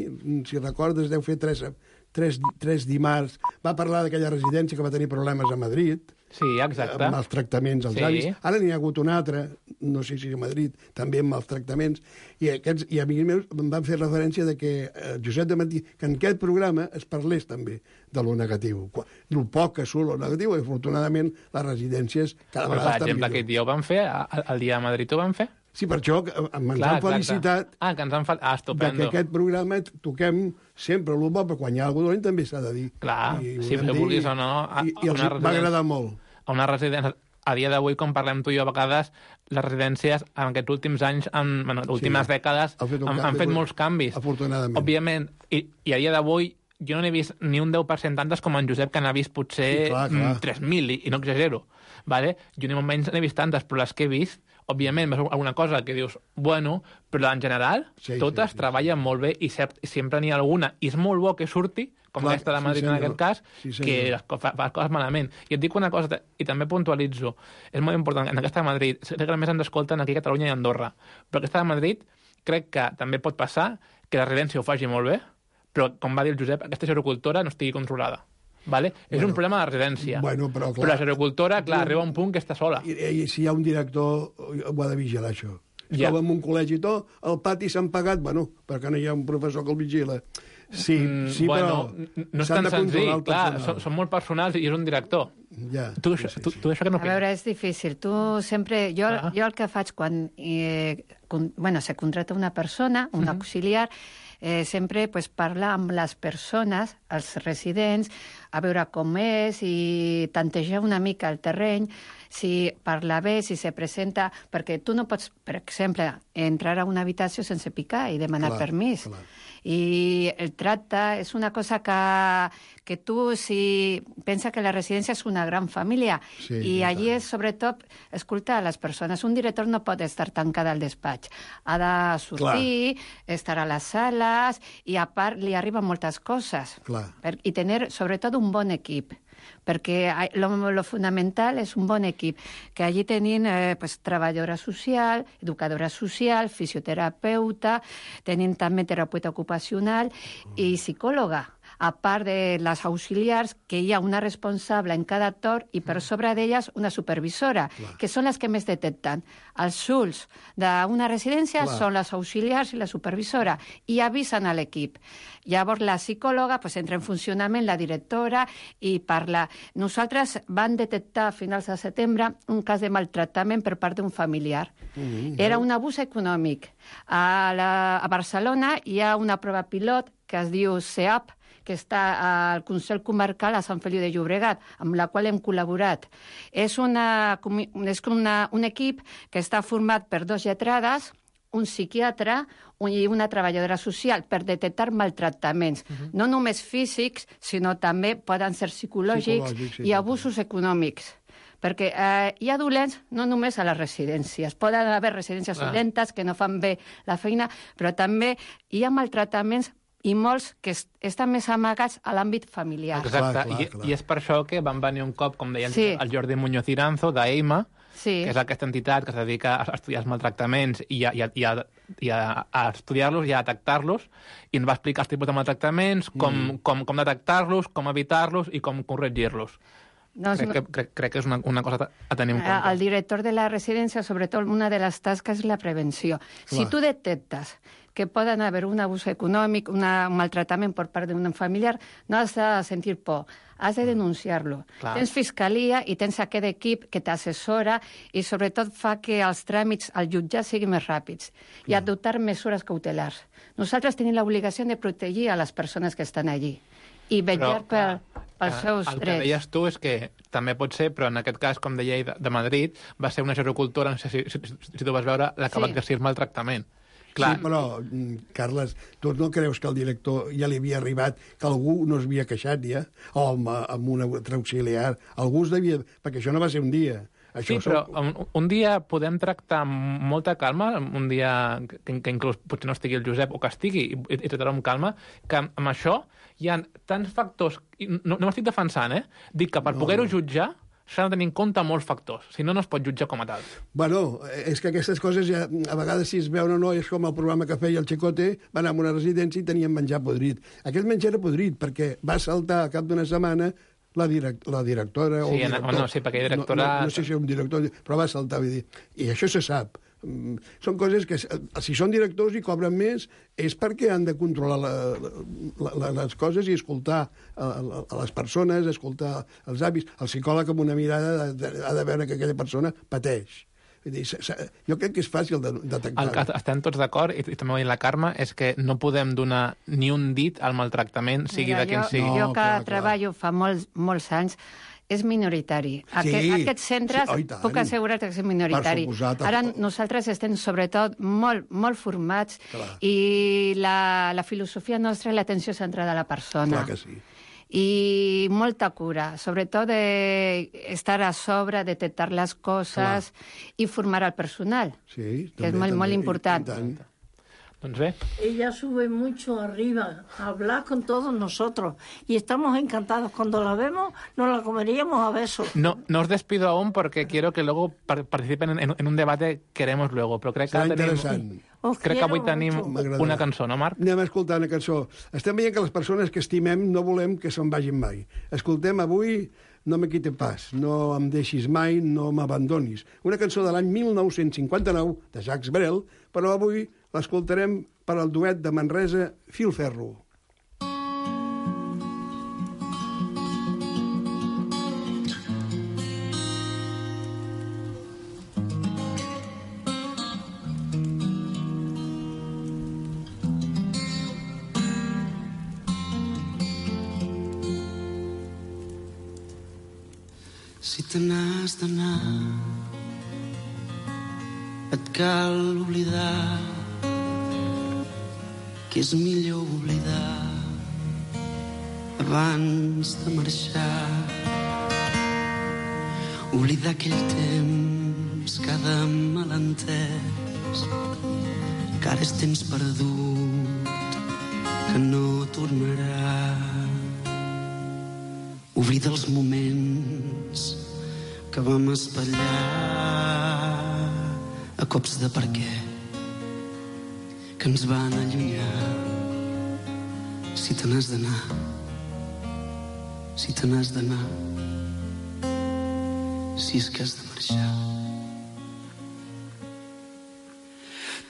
si recordes, deu fer tres, tres, tres dimarts, va parlar d'aquella residència que va tenir problemes a Madrid, Sí, exacte. amb els tractaments als Sí. avis. Ara n'hi ha hagut un altre, no sé si a Madrid, també amb els tractaments, i, aquests, i amics meus em van fer referència de que eh, Josep de Martí, que en aquest programa es parlés també de lo negatiu, del poc que surt lo negatiu, i afortunadament les residències cada Però, vegada per estan exemple, millor. aquest dia ho van fer, a- el dia de Madrid ho van fer. Sí, per això que ens Clar, han exacte. felicitat Ah, que ens han fet... Ah, de estupendo. que aquest programa toquem sempre el bo, però quan hi ha alguna cosa dolent també s'ha de dir. Clar, I ho si hem ho dit, vulguis o no, a- I, i a els una va residència- agradar molt. A una residència... A dia d'avui, com parlem tu i jo, a vegades les residències en aquests últims anys, en bueno, les últimes Sí. dècades, Ha fet un han, canvi, han fet però- molts canvis. Afortunadament. Òbviament, i, i a dia d'avui jo no n'he vist ni un deu per cent tantes com en Josep, que n'ha vist potser Sí, clar, clar. mm, tres mil, i, i no exagero. Vale? Jo ni molt menys n'he vist tantes, però les que he vist, òbviament, veus alguna cosa que dius, bueno, però en general, Sí, sí, totes sí, treballen molt bé i cert, sempre n'hi ha alguna, i és molt bo que surti, com Clar, aquesta de sí, Madrid en senyor. aquest cas, Sí, senyor. que les co- fa, fa les coses malament. I et dic una cosa, i també puntualitzo, és molt important, en aquesta de Madrid, crec que només ens escolten aquí a Catalunya i a Andorra, però aquesta de Madrid crec que també pot passar que la residència ho faci molt bé, però, com va dir el Josep, aquesta gerocultora no estigui controlada. Vale? Bueno, és un problema de residència. Bueno, però, clar, però la gerocultora, clar, arriba a un punt que està sola. I, i si hi ha un director, ho ha de vigilar, això. Es Ja. troba en un col·legi i tot, al pati s'han pagat, bueno, perquè no hi ha un professor que el vigila. Sí, Mm, sí, bueno, però no és s'han tan de controlar senzill, el clar, personal. són, són molt personals i és un director. Ja, Tu, sí, això- sí, tu, sí. tu això que no A veure, és difícil. Tu sempre... Jo, Ah. jo el que faig quan eh, con, bueno, se contracta una persona, un Mhm. auxiliar, eh, sempre pues, parlar amb les persones, els residents, a veure com és i tantejar una mica el terreny, si parla bé, si se presenta... Perquè tu no pots, per exemple, entrar a una habitació sense picar i demanar Clar, permís. clar. I el tracte és una cosa que, que tu, si pensa que la residència és una gran família, Sí, i i allí tant. és, sobretot, escoltar a les persones. Un director no pot estar tancada al despatx. Ha de sortir, Clar. estar a les sales, i a part li arriben moltes coses. Clar. Per, I tenir, sobretot, un bon equip. Perquè lo, lo fundamental és un bon equip, que allí tenim eh, pues, treballadora social, educadora social, fisioterapeuta, tenim també terapeuta ocupacional i psicòloga, a part de les auxiliars, que hi ha una responsable en cada torn i per sobre d'elles una supervisora, que són les que més detecten. Els ulls d'una residència Clar. són les auxiliars i la supervisora, i avisen a l'equip. Llavors la psicòloga pues, entra en funcionament, la directora, i parla. Nosaltres vam detectar a finals de setembre un cas de maltractament per part d'un familiar. Mm-hmm. Era un abús econòmic. A, la, a Barcelona hi ha una prova pilot que es diu C E A P, que està al Consell Comarcal a Sant Feliu de Llobregat, amb la qual hem col·laborat. És, una, és una, un equip que està format per dos lletrades, un psiquiatre i una treballadora social per detectar maltractaments, uh-huh. no només físics, sinó també poden ser psicològics, Psicològics, sí, i abusos econòmics. Perquè eh, hi ha dolents no només a les residències. Poden haver residències Clar. dolentes que no fan bé la feina, però també hi ha maltractaments i molts que est estan més amagats a l'àmbit familiar. Exacte, Clar, clar, I, clar. i és per això que van venir un cop, com deia Sí. el Jordi Muñoz Iranzo, d'EIMA, Sí. que és aquesta entitat que es dedica a estudiar els maltractaments i a, i a, i a, i a, a estudiar-los i a detectar-los, i ens va explicar els tipus de maltractaments, com, mm. com, com detectar-los, com evitar-los i com corregir-los. Doncs, Crec que, crec, crec que és una, una cosa a tenir en compte. el director de la residència, sobretot, una de les tasques és la prevenció. Si Clar. tu detectes que poden haver un abús econòmic, una, un maltractament per part d'un familiar, no has de sentir por, has de denunciar-lo. Clar. Tens fiscalia i tens aquest equip que t'assessora i sobretot fa que els tràmits al jutjat siguin més ràpids i adoptar mesures cautelars. Nosaltres tenim l'obligació de protegir a les persones que estan allí i vetllar per, pels seus el drets. que deies tu és que també pot ser, però en aquest cas, com deia ell, de, de Madrid, va ser una gerocultora, no sé si, si, si tu vas veure, la que Sí. va exercir el maltractament. Clar. Sí, però, mm, Carles, tu no creus que el director ja li havia arribat, que algú no es havia queixat ja? O amb, amb un altre auxiliar. Algú es devia... Perquè això no va ser un dia. Això sí, però un, un dia podem tractar amb molta calma, un dia que, que inclús potser no estigui el Josep o que estigui i, i tractar amb calma, que amb, amb això hi ha tants factors, i no, no m'estic defensant, eh? Dic que per No, poder-ho no. jutjar s'ha de tenir en compte molts factors, si no, no es pot jutjar com a tal. Bueno, és que aquestes coses ja, a vegades si es veuen o no, és com el programa que feia el Chicote, va anar a una residència i tenien menjar podrit. Aquest menjar era podrit perquè va saltar al cap d'una setmana la, direct, la directora o Sí, el en- director. no, sí, perquè hi ha directora- No, no, no sé si era un director, però va saltar, vull dir. I això se sap. Mm, Són coses que, si són directors i cobren més, és perquè han de controlar la, la, la, les coses i escoltar a, a, a les persones, escoltar els avis. El psicòleg amb una mirada ha de, ha de veure que aquella persona pateix. Vull dir, s- s- jo crec que és fàcil de detectar. El que estem tots d'acord, i, i també ho ha dit la Carme, és que no podem donar ni un dit al maltractament, sigui Mira, de quin jo, sigui. jo No, que clar, clar. treballo fa molts, molts anys, és minoritari. Aquest, Sí, aquests centres, sí, oh, i tant. puc assegurar que és minoritari. Per suposat. Ara nosaltres estem, sobretot, molt, molt formats Clar. i la, la filosofia nostra és l'atenció centrada a la persona. Clar que sí. I molta cura, sobretot de estar a sobre, detectar les coses i formar el personal, Sí, que és també, molt, molt també, i- important. i tant. Doncs bé, Ella sube mucho arriba a hablar con todos nosotros y estamos encantados. Cuando la vemos, nos la comeríamos a besos. no, no os despido aún porque quiero que luego par- participen en, en un debate que haremos luego, però crec que, Serà ara tenim, interessant. Os crec que avui quiero tenim mucho. M'agradarà. una cançó, no, Marc? Anem a escoltar una cançó. Estem veient que les persones que estimem no volem que se'n vagin mai. Escoltem avui No me quite pas, no em deixis mai, no m'abandonis. Una cançó de l'any mil nou-cents cinquanta-nou, de Jacques Brel, però avui l'escoltarem per al duet de Manresa, Filferro. Si te n'has d'anar, et cal oblidar que és millor oblidar abans de marxar. Oblidar aquell temps que ha de malentès, que ara és temps perdut, que no tornarà. Oblida els moments que vam espatllar a cops de per què, que ens van allunyar. Si te n'has d'anar, si te n'has d'anar, si és que has de marxar.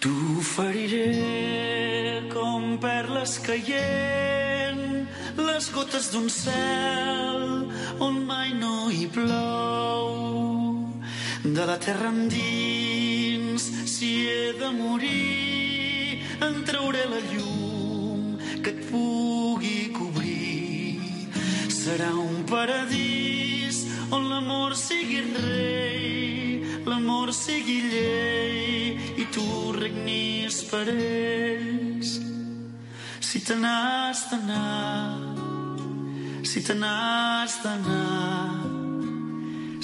T'oferiré com perles caient, les gotes d'un cel on mai no hi plou. De la terra endins, si he de morir, en trauré la llum que et pugui cobrir. Serà un paradís on l'amor sigui rei, l'amor sigui llei i tu regnis per ells. Si te n'has d'anar, si te n'has d'anar,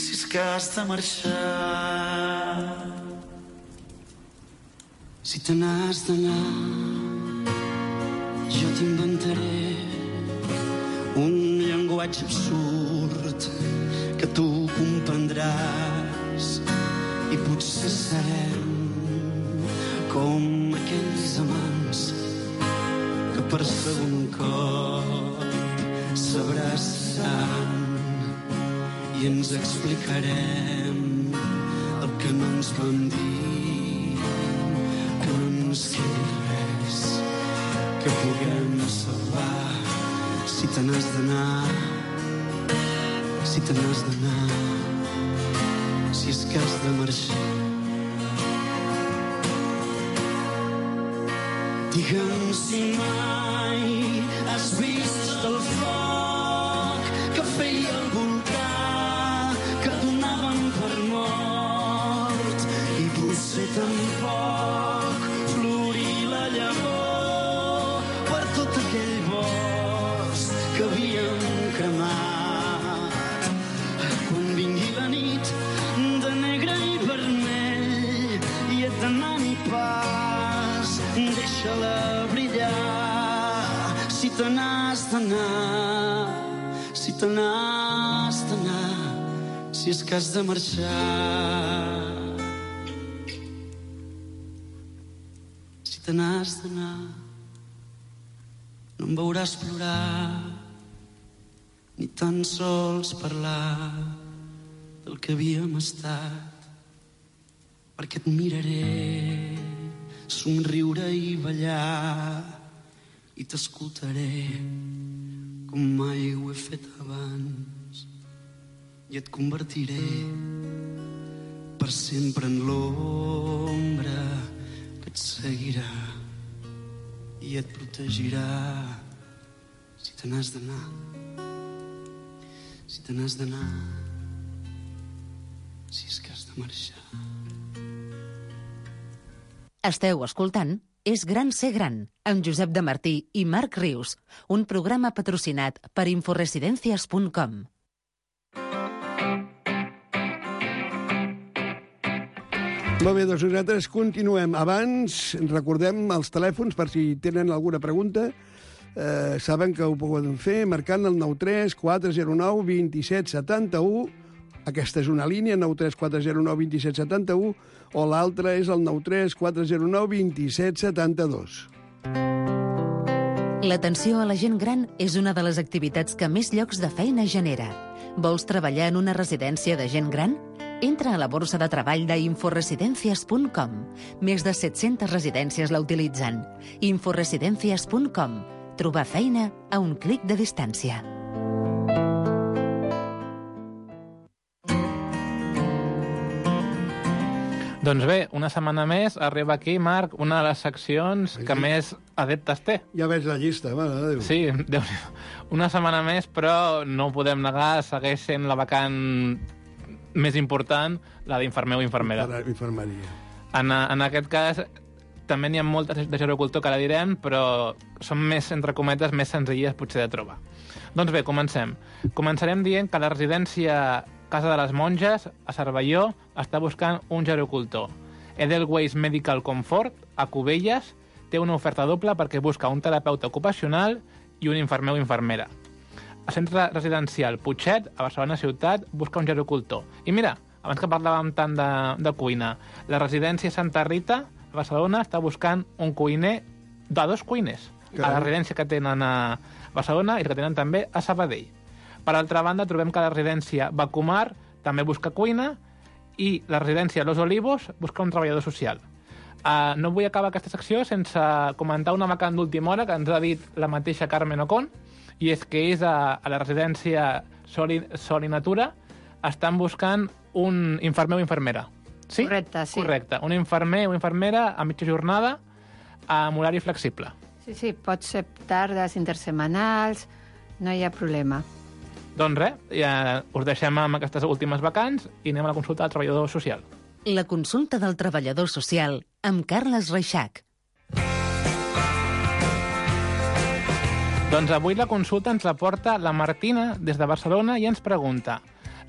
si és que has de marxar. Si te n'has d'anar, jo t'inventaré un llenguatge absurd que tu comprendràs i potser serem com aquells amants que per segon cop s'abraçaran i ens explicarem el que no ens van dir. Que no ens quedi res que puguem salvar. Si te n'has d'anar, si te n'has d'anar, si és que has de marxar. Digue'm si mai has vist el foc que feia el volcà, que donaven per mort, i potser tampoc florir la llavor per tot aquell bosc que havíem cremat. Quan vingui la nit de deixa-la brillar. Si te n'has d'anar, si te n'has d'anar, si és que has de marxar. Si te n'has d'anar, no em veuràs plorar, ni tan sols parlar del que havíem estat, perquè et miraré somriure i ballar i t'escoltaré com mai ho he fet abans i et convertiré per sempre en l'ombra que et seguirà i et protegirà si te n'has d'anar, si te n'has d'anar, si és que has de marxar. Esteu escoltant És gran ser gran, amb Josep de Martí i Marc Rius, un programa patrocinat per inforesidencias punt com. Molt bé, doncs nosaltres continuem. Abans, recordem els telèfons per si tenen alguna pregunta. Eh, saben que ho poden fer marcant el nou tres quatre zero nou dos set set u. Aquesta és una línia, nou tres quatre zero nou dos set set u, o l'altra és el nou tres quatre zero nou dos set set dos. L'atenció a la gent gran és una de les activitats que més llocs de feina genera. Vols treballar en una residència de gent gran? Entra a la borsa de treball d'inforesidencias punt com. Més de set-centes residències la utilitzen. inforesidencias punt com. Trobar feina a un clic de distància. Doncs bé, una setmana més arriba aquí, Marc, una de les seccions que més adeptes té. Ja veig la llista, mare de Déu. Sí, Déu, una setmana més, però no ho podem negar, segueix sent la vacant més important, la d'infermer o infermera. Infermeria. En, en aquest cas, també n'hi ha moltes de gerocultor que ara direm, però són més, entre cometes, més senzilles potser de trobar. Doncs bé, comencem. Començarem dient que la residència Casa de les Monges, a Cervelló, està buscant un gerocultor. Edelweiss Medical Comfort, a Cubelles, té una oferta doble perquè busca un terapeuta ocupacional i un infermer o infermera. El centre residencial Putxet, a Barcelona Ciutat, busca un gerocultor. I mira, abans que parlàvem tant de, de cuina, la residència Santa Rita, a Barcelona, està buscant un cuiner, de dos cuiners, a la residència que tenen a Barcelona i que tenen també a Sabadell. Per altra banda, trobem que la residència Bacumar també busca cuina i la residència Los Olivos busca un treballador social. Uh, no vull acabar aquesta secció sense comentar una vacant d'última hora que ens ha dit la mateixa Carmen Ocon, i és que és a, a la residència Sol i, Sol i Natura, estan buscant un infermer o infermera. Sí? Correcte, sí. Correcte. Un infermer o infermera a mitja jornada amb horari flexible. Sí, sí, pot ser tardes intersemanals, no hi ha problema. Doncs res, ja us deixem amb aquestes últimes vacants i anem a la consulta del treballador social. La consulta del treballador social amb Carles Reixac. Doncs avui la consulta ens la porta la Martina des de Barcelona i ens pregunta: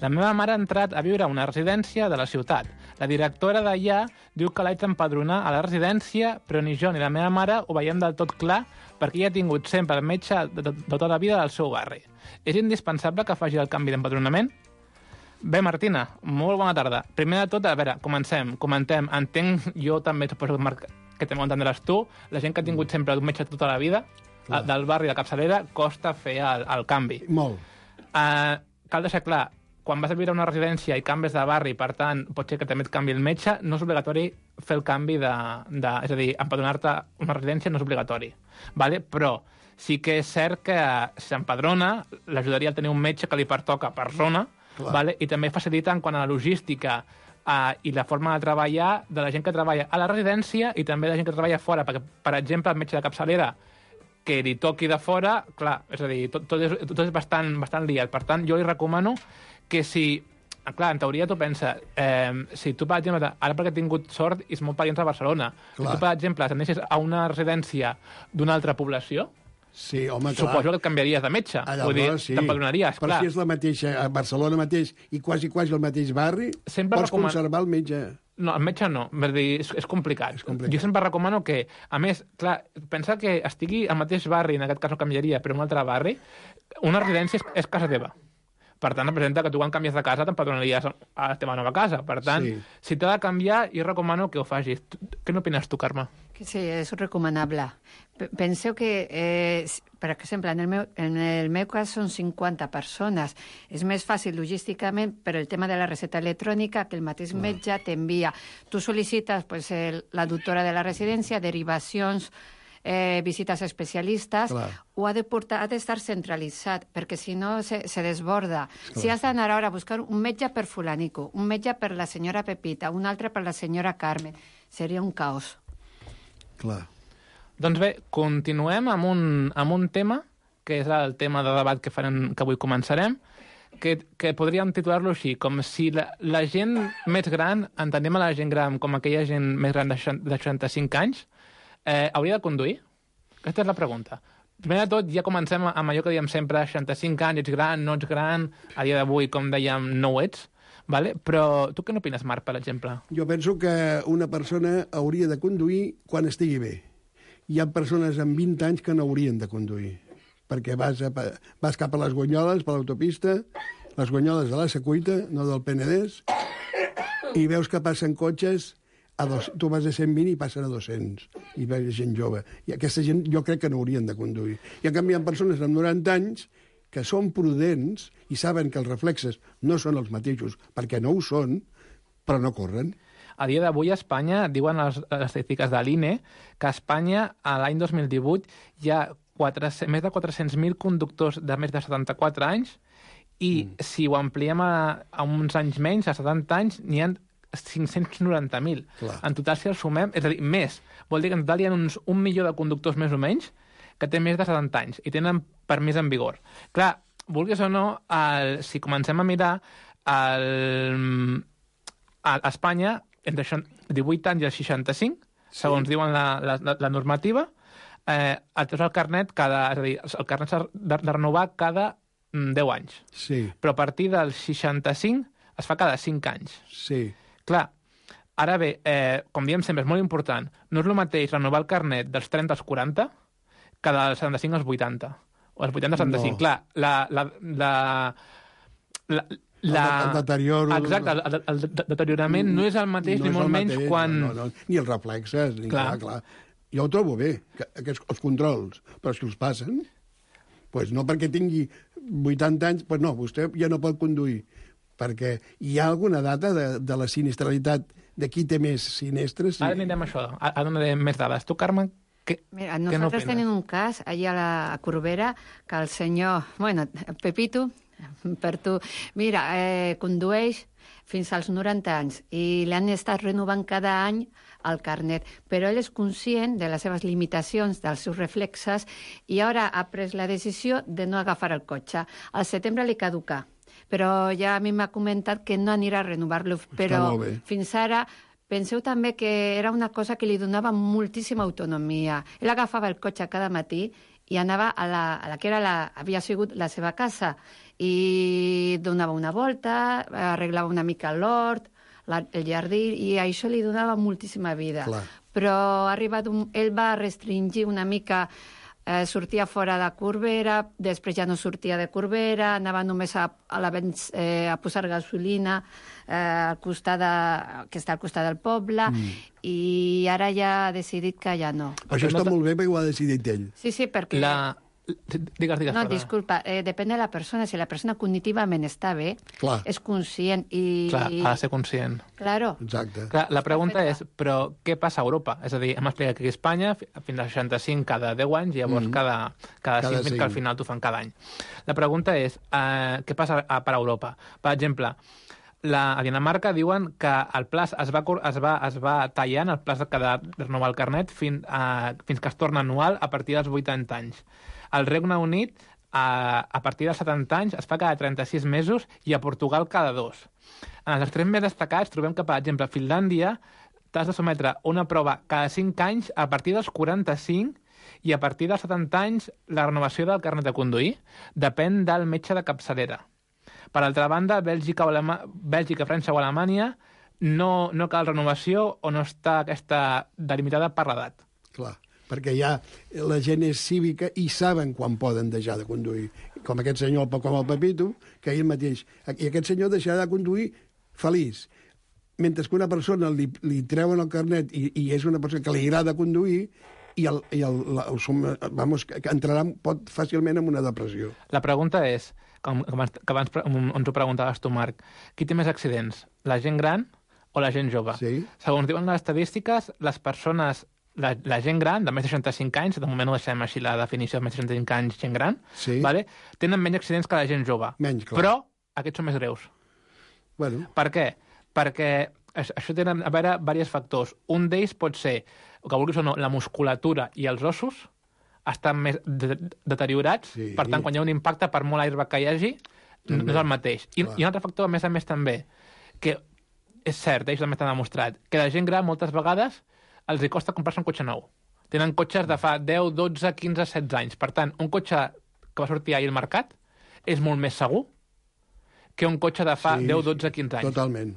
la meva mare ha entrat a viure a una residència de la ciutat. La directora d'allà diu que l'haig d'empadronar a la residència, però ni jo ni la meva mare ho veiem del tot clar perquè ella ha tingut sempre el metge de, de, de tota la vida del seu barri. És indispensable que faci el canvi d'empadronament? Bé, Martina, molt bona tarda. Primer de tot, a veure, comencem, comentem. Entenc, jo també, suposo, Marc, que també ho entendràs tu, la gent que ha tingut sempre un metge tota la vida, clar, del barri de capçalera, costa fer el, el canvi. Molt. Uh, cal deixar clar, quan vas a viure a una residència i canves de barri, per tant, pot ser que també et canvi el metge, no és obligatori fer el canvi de... de és a dir, empadronar-te a una residència no és obligatori, vale? Però sí que és cert que si s'empadrona, l'ajudaria a tenir un metge que li pertoca per zona, vale? I també facilita en quant a la logística uh, i la forma de treballar de la gent que treballa a la residència i també de la gent que treballa fora, perquè, per exemple, el metge de capçalera que li toqui de fora, clar, és a dir, tot, tot, és, tot és bastant, bastant liat. Per tant, jo li recomano que si... Clar, en teoria tu pensa, eh, si tu, per exemple, ara perquè he tingut sort i som molt parients a Barcelona, clar, si tu, per exemple, t'anessis a una residència d'una altra població, sí, home, suposo que et canviaries de metge. Allà, vull dir, sí, t'empadronaries, clar. Però si és la mateixa, a Barcelona mateix i quasi, quasi el mateix barri, sempre pots recoman... conservar el metge. No, el metge no, vull dir, és, és, complicat. és complicat. Jo sempre recomano que, a més, clar, pensa que estigui al mateix barri, en aquest cas no canviaria, però en un altre barri, una residència és, és casa teva. Per tant, representa que tu quan canvies de casa t'empadronaries a la teva nova casa. Per tant, sí. si t'ha de canviar, jo recomano que ho facis. Què n'opines tu, Carme? Sí, és recomanable. Penseu que, eh, per exemple, en el, meu, en el meu cas són cinquanta persones. És més fàcil logísticament, però el tema de la recepta electrònica, que el mateix metge t'envia. Tu sol·licites pues, el, la doctora de la residència, derivacions, eh, visites a especialistes, Clar. o ha de portar, ha d'estar centralitzat, perquè si no se, se desborda. Clar. Si has d'anar ara a buscar un metge per fulanico, un metge per la senyora Pepita, un altre per la senyora Carmen, seria un caos. Clar. Doncs bé, continuem amb un, amb un tema, que és el tema de debat que, farem, que avui començarem, que, que podríem titular-lo així, com si la, la gent més gran, entenem a la gent gran com aquella gent més gran de seixanta-cinc anys, eh, hauria de conduir? Aquesta és la pregunta. Primer de tot, ja comencem amb allò que diem sempre, seixanta-cinc anys, ets gran, no ets gran, a dia d'avui, com dèiem, no ho ets, vale? Però tu què n'opines, Marc, per exemple? Jo penso que una persona hauria de conduir quan estigui bé. Hi ha persones amb vint anys que no haurien de conduir, perquè vas, a, vas cap a les Guanyoles, per l'autopista, les Guanyoles de la Secuita, no del Penedès, i veus que passen cotxes, a dos, tu vas a cent vint i passen a dos-cents, i veus gent jove. I aquesta gent jo crec que no haurien de conduir. I en canvi hi ha persones amb noranta anys que són prudents i saben que els reflexes no són els mateixos, perquè no ho són, però no corren. A dia d'avui a Espanya, diuen les, les estadístiques de l'I N E, que a Espanya, a l'any dos mil divuit, hi ha quatre, més de quatre-cents mil conductors de més de setanta-quatre anys i mm. si ho ampliem a, a uns anys menys, a setanta anys, n'hi ha cinc-cents noranta mil. En total, si els sumem, és a dir, més. Vol dir que en total hi ha uns un milió de conductors més o menys que té més de setanta anys i tenen permís en vigor. Clar, vulguis o no, el, si comencem a mirar, el, a Espanya, entre divuit anys i els seixanta-cinc, sí. segons diuen la, la, la normativa, eh, el tens el carnet, cada, és a dir, el carnet s'ha de, de renovar cada mm, deu anys. Sí. Però a partir del seixanta-cinc es fa cada cinc anys. Sí. Clar, ara bé, eh, com diem sempre, és molt important, no és el mateix renovar el carnet dels trenta als quaranta que dels setanta-cinc als vuitanta, o als vuitanta als setanta-cinc. No. Clar, la... la, la, la La... El, el deterior... Exacte, el, el, el deteriorament no és el mateix, no ni molt menys mateix, quan... No, no, no. Ni els reflexes, ni clar. clar, clar. Jo ho trobo bé, que, aquests, els controls, però si els passen, pues no perquè tingui vuitanta anys, pues no, vostè ja no pot conduir, perquè hi ha alguna data de, de la sinistralitat de qui té més sinestres. Ara anirem a això, ara donarem més dades. Tu, Carme, què, Mira, què nosaltres tenim un cas allà a la a Corbera que el senyor, bueno, Pepito, per tu, mira, eh, condueix fins als noranta anys i l'han estat renovant cada any el carnet, però ell és conscient de les seves limitacions, dels seus reflexes, i ara ha pres la decisió de no agafar el cotxe. Al setembre li caduca, però ja a mi m'ha comentat que no anirà a renovar-lo, però fins ara penseu també que era una cosa que li donava moltíssima autonomia. Ell agafava el cotxe cada matí i anava a la, a la que era la, havia sigut la seva casa i donava una volta, arreglava una mica l'hort, la, el jardí, i això li donava moltíssima vida. Clar. Però ha arribat un, ell va restringir una mica, eh, sortia fora de Corbera, després ja no sortia de Corbera, anava només a, a, la, eh, a posar gasolina eh, al costat de, que està al costat del poble, mm. i ara ja ha decidit que ja no. Això està molt bé perquè ho ha decidit ell. Sí, sí, perquè... La... Digues, digues, no, perdona. Disculpa, eh, depèn de la persona. Si la persona cognitivament està bé, clar. És conscient i... Clar, ha de ser conscient. Claro. Exacte. Clar, la pregunta és, però què passa a Europa? És a dir, hem explicat que a Espanya fins als seixanta-cinc cada deu anys i llavors mm. cada, cada, cada cinc, cinc, que al final t'ho fan cada any. La pregunta és, eh, què passa a, per a Europa? Per exemple, la, a Dinamarca diuen que el pla es va, es va, es va tallant, el pla de renovar el carnet fins, a, fins que es torna anual a partir dels vuitanta anys. Al Regne Unit, a, a partir dels setanta anys, es fa cada trenta-sis mesos i a Portugal cada dos. En els extrems més destacats trobem que, per exemple, a Finlàndia t'has de sometre una prova cada cinc anys a partir dels quaranta-cinc i a partir dels setanta anys la renovació del carnet de conduir depèn del metge de capçalera. Per altra banda, Bèlgica, o Alema... Bèlgica, França o Alemanya no, no cal renovació o no està aquesta delimitada per l'edat. Clar, perquè ja la gent és cívica i saben quan poden deixar de conduir. Com aquest senyor, com el Pepito, que ell mateix... I aquest senyor deixarà de conduir feliç. Mentre que una persona li, li treuen el carnet i, i és una persona que li agrada conduir i, el, i el, el, el, vamos, que entrarà pot fàcilment en una depressió. La pregunta és, com, com que abans ens ho preguntaves tu, Marc, qui té més accidents, la gent gran o la gent jove? Sí. Segons diuen les estadístiques, les persones, la, la gent gran, de més de seixanta-cinc anys, de moment ho deixem així la definició de més de seixanta-cinc anys, gent gran, sí. vale? Tenen menys accidents que la gent jove. Menys, clar. Però aquests són més greus. Bueno. Per què? Perquè això té a veure diversos factors. Un d'ells pot ser, que vulguis o no, la musculatura i els ossos estan més de deteriorats, sí. Per tant, quan hi ha un impacte, per molt airbag que hi hagi, també. No és el mateix. I, I un altre factor, a més a més, també, que és cert, ells també t'han demostrat, que la gent gran, moltes vegades, els hi costa comprar-se un cotxe nou. Tenen cotxes de fa deu, dotze, quinze, setze anys. Per tant, un cotxe que va sortir ahir al mercat és molt més segur que un cotxe de fa sí, deu, dotze, quinze anys. Totalment.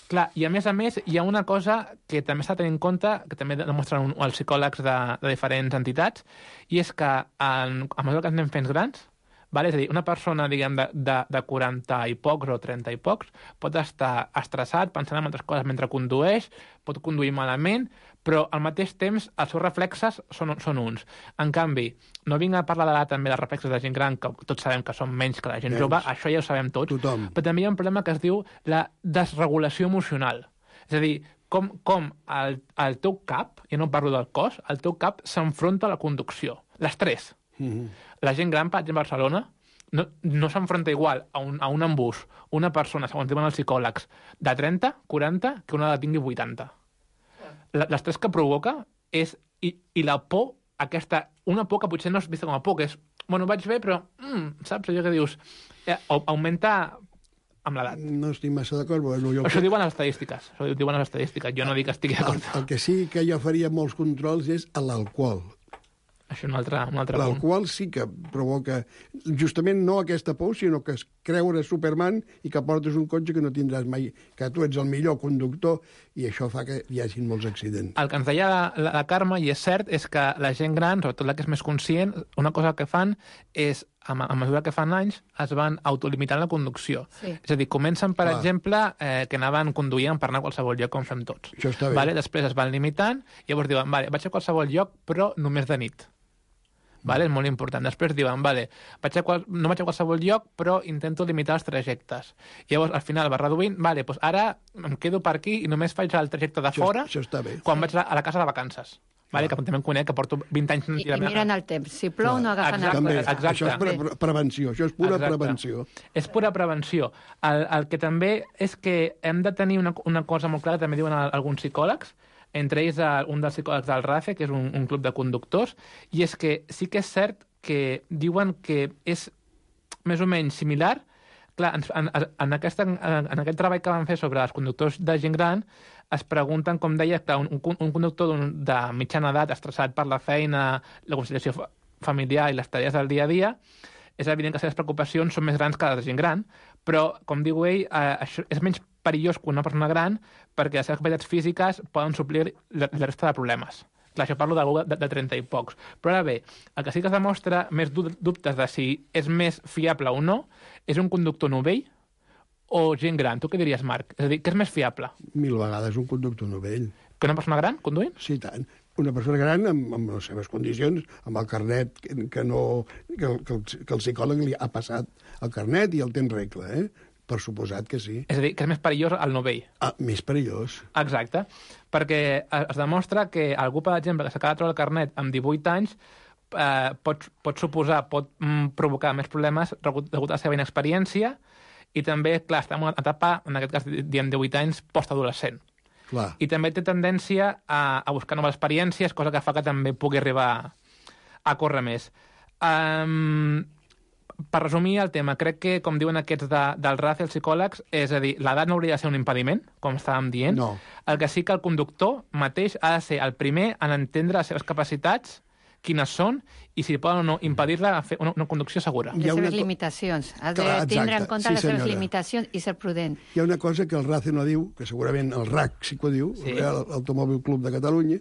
Clar, i a més a més hi ha una cosa que també s'ha de tenir en compte, que també demostren els psicòlegs de, de diferents entitats, i és que en, a mesura que ens anem fent grans, vale? És a dir, una persona, diguem, de, de, de quaranta i pocs o trenta i pocs pot estar estressat, pensant en altres coses mentre condueix, pot conduir malament, però al mateix temps els seus reflexes són, són uns. En canvi, no vinc a parlar de també dels reflexes de gent gran, que tots sabem que són menys que la gent menys. Jove, això ja ho sabem tots, tothom. Però també hi ha un problema que es diu la desregulació emocional. És a dir, com, com el, el teu cap, ja no parlo del cos, el teu cap s'enfronta a la conducció. L'estrès. Mm-hmm. La gent gran, per exemple, a Barcelona, no, no s'enfronta igual a un, a un embús, una persona, segons diuen els psicòlegs, de trenta, quaranta, que una de tingui vuitanta. L'estrès que provoca és, i, i la por, aquesta, una por que potser no és vista com a por, que és, bueno, vaig bé, però, mm, saps, allò que dius, eh, augmenta amb l'edat. No estic massa d'acord. Bueno, jo això que... diuen les estadístiques, això diuen les estadístiques, jo no dic que estigui d'acord. El, el que sí que jo faria molts controls és a l'alcohol. Això és un altre, un altre punt. L'alcohol sí que provoca, justament no aquesta por, sinó que es creure Superman i que portes un cotxe que no tindràs mai, que tu ets el millor conductor, i això fa que hi hagin molts accidents. El que ens deia la, la, la Carme, i és cert, és que la gent gran, sobretot la que és més conscient, una cosa que fan és, a, a mesura que fan anys, es van autolimitant la conducció. Sí. És a dir, comencen, per Clar. exemple, eh, que anaven conduint per anar a qualsevol lloc, com fem tots. Això està bé. Vale? Després es van limitant, i llavors diuen, vale, vaig a qualsevol lloc, però només de nit. Vale? És molt important. Després diuen, vale, vaig a qual... no vaig a qualsevol lloc, però intento limitar els trajectes. I llavors, al final, va reduint, vale, doncs ara em quedo per aquí i només faig el trajecte de això, fora això està bé. quan vaig a la casa de vacances. Vale, que també em conec, que porto vint anys... I, i miren el temps. Si plou, Clar. no agafen exacte, el també, cotxe. Exacte. Això és pre prevenció, això és pura exacte. prevenció. És pura prevenció. El, el que també és que hem de tenir una, una cosa molt clara, també diuen alguns psicòlegs, entre ells un dels psicòlegs del R A C E, que és un, un club de conductors, i és que sí que és cert que diuen que és més o menys similar. Clar, en, en, en, aquesta, en aquest treball que van fer sobre els conductors de gent gran, es pregunten, com deia, clar, un, un conductor de mitjana edat, estressat per la feina, la conciliació familiar i les tarees del dia a dia, és evident que les seves preocupacions són més grans que les de gent gran, però, com diu ell, eh, això és menys perillós que una persona gran perquè les seves capacitats físiques poden suplir la, la resta de problemes. Clar, això parlo d'algú de, de trenta i pocs. Però ara bé, el que sí que es demostra més dubtes de si és més fiable o no és un conductor novell o gent gran. Tu què diries, Marc? És a dir, què és més fiable? Mil vegades un conductor novell. Que una persona gran conduint? Sí, tant. Una persona gran amb, amb les seves condicions, amb el carnet que, que, no, que, el, que, el, que el psicòleg li ha passat el carnet i el té en regla, eh? Per suposat que sí. És a dir, que és més perillós el novell. Ah, més perillós. Exacte. Perquè es demostra que algú, per exemple, que s'acaba de treure el carnet amb divuit anys, eh, pot, pot suposar, pot mm, provocar més problemes degut a la seva inexperiència, i també, clar, està en una etapa, en aquest cas, diem divuit anys, postadolescent. Clar. I també té tendència a, a buscar noves experiències, cosa que fa que també pugui arribar a, a córrer més. Um, per resumir el tema, crec que, com diuen aquests de, del R A C E, els psicòlegs, és a dir, l'edat no hauria de ser un impediment, com estàvem dient. No. El que sí que el conductor mateix ha de ser el primer en entendre les seves capacitats, quines són i si poden o no impedir-la fer una, una conducció segura. Les seves limitacions. Has de Clar, tindre exacte. en compte Sí, les seves senyora. limitacions i ser prudent. Hi ha una cosa que el R A C no diu, que segurament el R A C sí que ho diu, Sí. sí. l'Automòbil Club de Catalunya,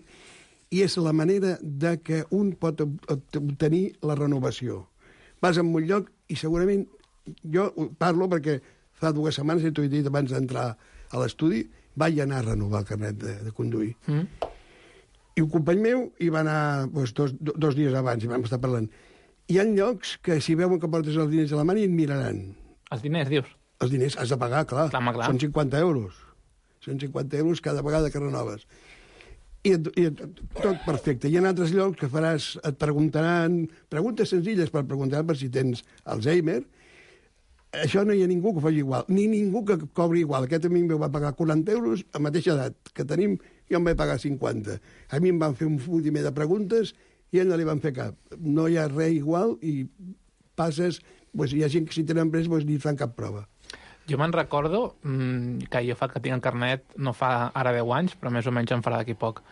i és la manera de que un pot obtenir la renovació. Vas a un lloc i segurament, jo parlo perquè fa dues setmanes, i t'ho he dit abans d'entrar a l'estudi, vaig anar a renovar el carnet de, de conduir. Mm. I un company meu hi va anar doncs, dos, dos dies abans, i vam estar parlant. Hi ha llocs que si veuen que portes els diners a la mà i et miraran. Els diners, dius? Els diners has de pagar, clar. Clar, home, clar. Són cinquanta euros. Són cinquanta euros cada vegada que renoves. I, et, i et, tot perfecte. Hi ha altres llocs que faràs, et preguntaran, preguntes senzilles per preguntar per si tens Alzheimer. Això no hi ha ningú que ho faci igual, ni ningú que cobri igual. Aquest amic meu va pagar quaranta euros a mateixa edat que tenim, jo em vaig pagar cinquanta. A mi em van fer un últim de preguntes i a ell no li van fer cap. No hi ha res igual i passes... Pues, hi ha gent que si tenen pres pues, ni fan cap prova. Jo me'n recordo mmm, que jo fa que tinc el carnet, no fa ara deu anys, però més o menys em farà d'aquí poc.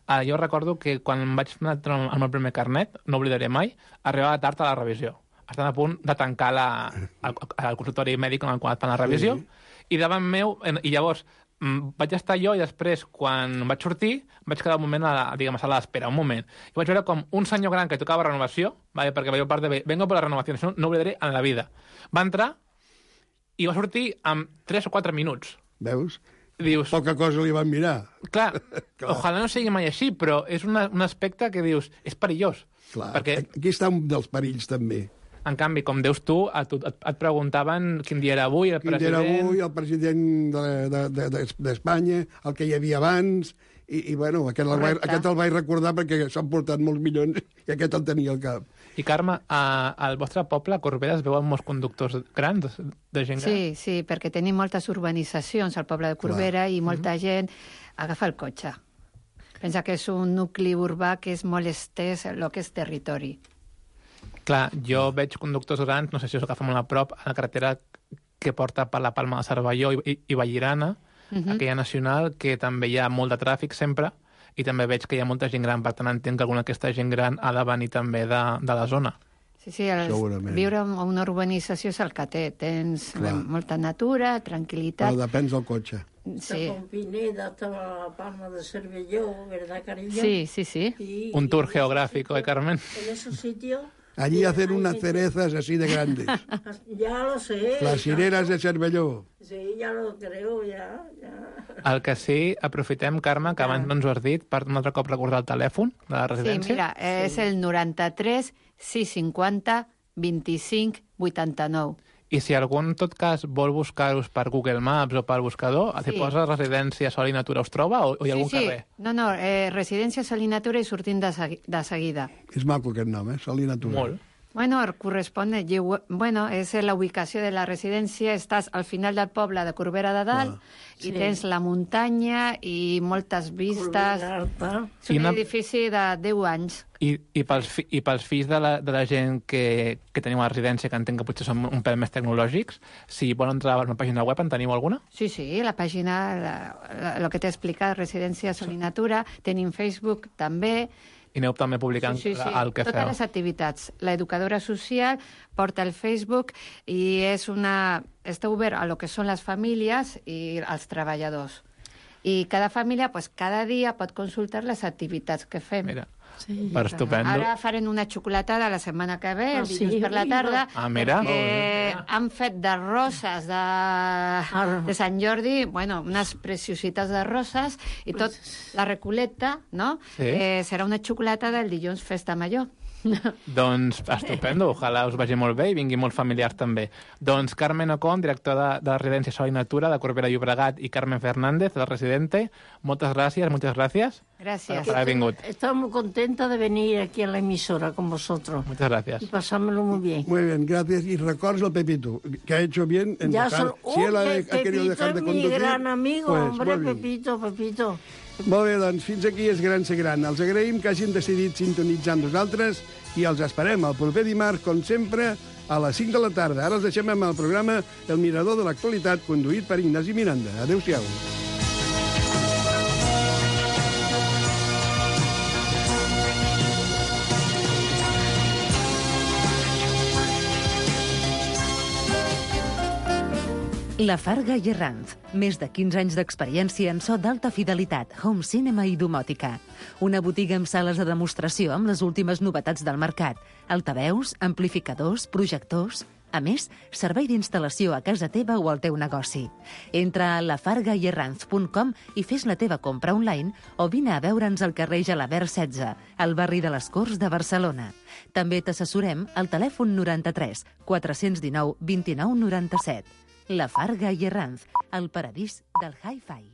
Uh, jo recordo que quan em vaig anar el meu primer carnet, no oblidaré mai, arribava tard a la revisió. Estan a punt de tancar la, el, el consultori mèdic en el qual et fan la revisió, sí. I davant meu, i llavors mm, vaig estar jo i després, quan vaig sortir, vaig quedar un moment a la, diguem, a sala d'espera, un moment. I vaig veure com un senyor gran que tocava renovació, vale, perquè veia part de vengo por la renovació, això no oblidaré en la vida. Va entrar i va sortir en tres o quatre minuts. Veus? Dius... Poca cosa li van mirar. Clar, Clar. ojalà no sigui mai així, però és una, un aspecte que dius, és perillós. Clar, perquè... aquí està un dels perills, també. En canvi, com deus tu, et, et, et preguntaven quin dia era avui, el quin president... Quin dia era avui, el president d'Espanya, de, de, de, el que hi havia abans, i, i bueno, aquest el, vaig, aquest el vaig recordar perquè s'han portat molts milions i aquest el tenia al cap. I Carme, a, al vostre poble, a Corbera, es veuen molts conductors grans, de gent gran? Sí, sí, perquè tenim moltes urbanitzacions al poble de Corbera. Clar. I molta mm-hmm. gent agafa el cotxe. Pensa que és un nucli urbà que és molt estès el que és territori. Clar, jo veig conductors grans, no sé si us agafa molt a prop, a la carretera que porta per la Palma de Cervelló i, i, i Vallirana, uh-huh. aquella nacional, que també hi ha molt de tràfic sempre, i també veig que hi ha molta gent gran, per tant entenc que alguna d'aquesta gent gran ha de venir també de, de la zona. Sí, sí, el, viure en una urbanització és el que té. Tens Clar. molta natura, tranquil·litat... Però depèn del cotxe. Sí. Con Pineda hasta la Palma de Cervelló, ¿verdad, cariño? Sí, sí, sí. Y, Un tour geográfico, ¿eh, Carmen? En esos sitios... Allí hacen unas cerezas así de grandes. Ya lo sé. Las cireras de Cervelló. Sí, ya lo creo, ya, ya. El que sí, aprofitem, Carme, que abans no ens ho has dit, per un altre cop recordar el telèfon de la residència. Sí, mira, és el noranta-tres sis cinquanta vint-i-cinc vuitanta-nou. I si algú, en tot cas, vol buscar-us per Google Maps o per buscador, sí. Si posa Residència Sol i Natura, us troba o, o hi ha algun sí, sí. carrer? No, no, eh, Residència Sol i Natura i sortint de, segui de seguida. És maco aquest nom, eh? Sol i Natura. Molt. Bueno, corresponde, bueno, és la ubicació de la residència, estàs al final del poble de Corbera de Dalt, ah, i sí. tens la muntanya i moltes vistes. És un una... edifici de deu anys. I, i, pels, fi, i pels fills de la, de la gent que, que teniu a la residència, que entenc que potser són un pèl més tecnològics, si volen entrar a una pàgina web, en teniu alguna? Sí, sí, la pàgina, el que t'he explicat, Residència Sol i Natura, tenim Facebook també. I aneu també publicant sí, sí, sí. el que Totes feu. Totes les activitats. L'educadora social porta el Facebook i és una... està obert a lo que són les famílies i els treballadors. I cada família, pues, cada dia pot consultar les activitats que fem. Mira, sí, per estupendo. Ara farem una xocolatada la setmana que ve, el dilluns per la tarda, ah, mira. perquè han fet de roses de, de Sant Jordi, bueno, unes preciositats de roses, i tot la recoleta, no? Sí. Eh, serà una xocolatada el dilluns Festa Major. Doncs estupendo, ojalà us vagi molt bé i vingui molts familiars també. Doncs Carmen Ocon, director de, de Residència Sol i Natura de Corbera i Llobregat, i Carmen Fernández, del Residente, moltes gràcies, moltes gràcies. Gracias. Per haver vingut. Estoy muy contenta de venir aquí a la emisora con vosotros. Muchas gracias. Y pasármelo muy bien. Muy bien, gracias. Y records al Pepito, que ha hecho bien en ya dejar... Son... Si él ha, Pepito ha querido dejar de conducir... mi gran amigo, pues, hombre, Pepito, Pepito. Molt bé, doncs fins aquí és Gran Ser Gran. Els agraïm que hagin decidit sintonitzar amb nosaltres i els esperem el proper dimarts, com sempre, a les cinc de la tarda. Ara els deixem amb el programa El Mirador de l'Actualitat, conduït per Ignasi Miranda. Adéu-siau. La Farga i Herranz. Més de quinze anys d'experiència en so d'alta fidelitat, home cinema i domòtica. Una botiga amb sales de demostració amb les últimes novetats del mercat. Altaveus, amplificadors, projectors... A més, servei d'instal·lació a casa teva o al teu negoci. Entra a la farga i herranz punt com i fes la teva compra online o vine a veure'ns al carrer Gelabert setze, al barri de les Corts de Barcelona. També t'assessorem al telèfon noranta-tres quatre-cents dinou vint-i-nou noranta-set. La Farga i Herranz, el paradís del hi-fi.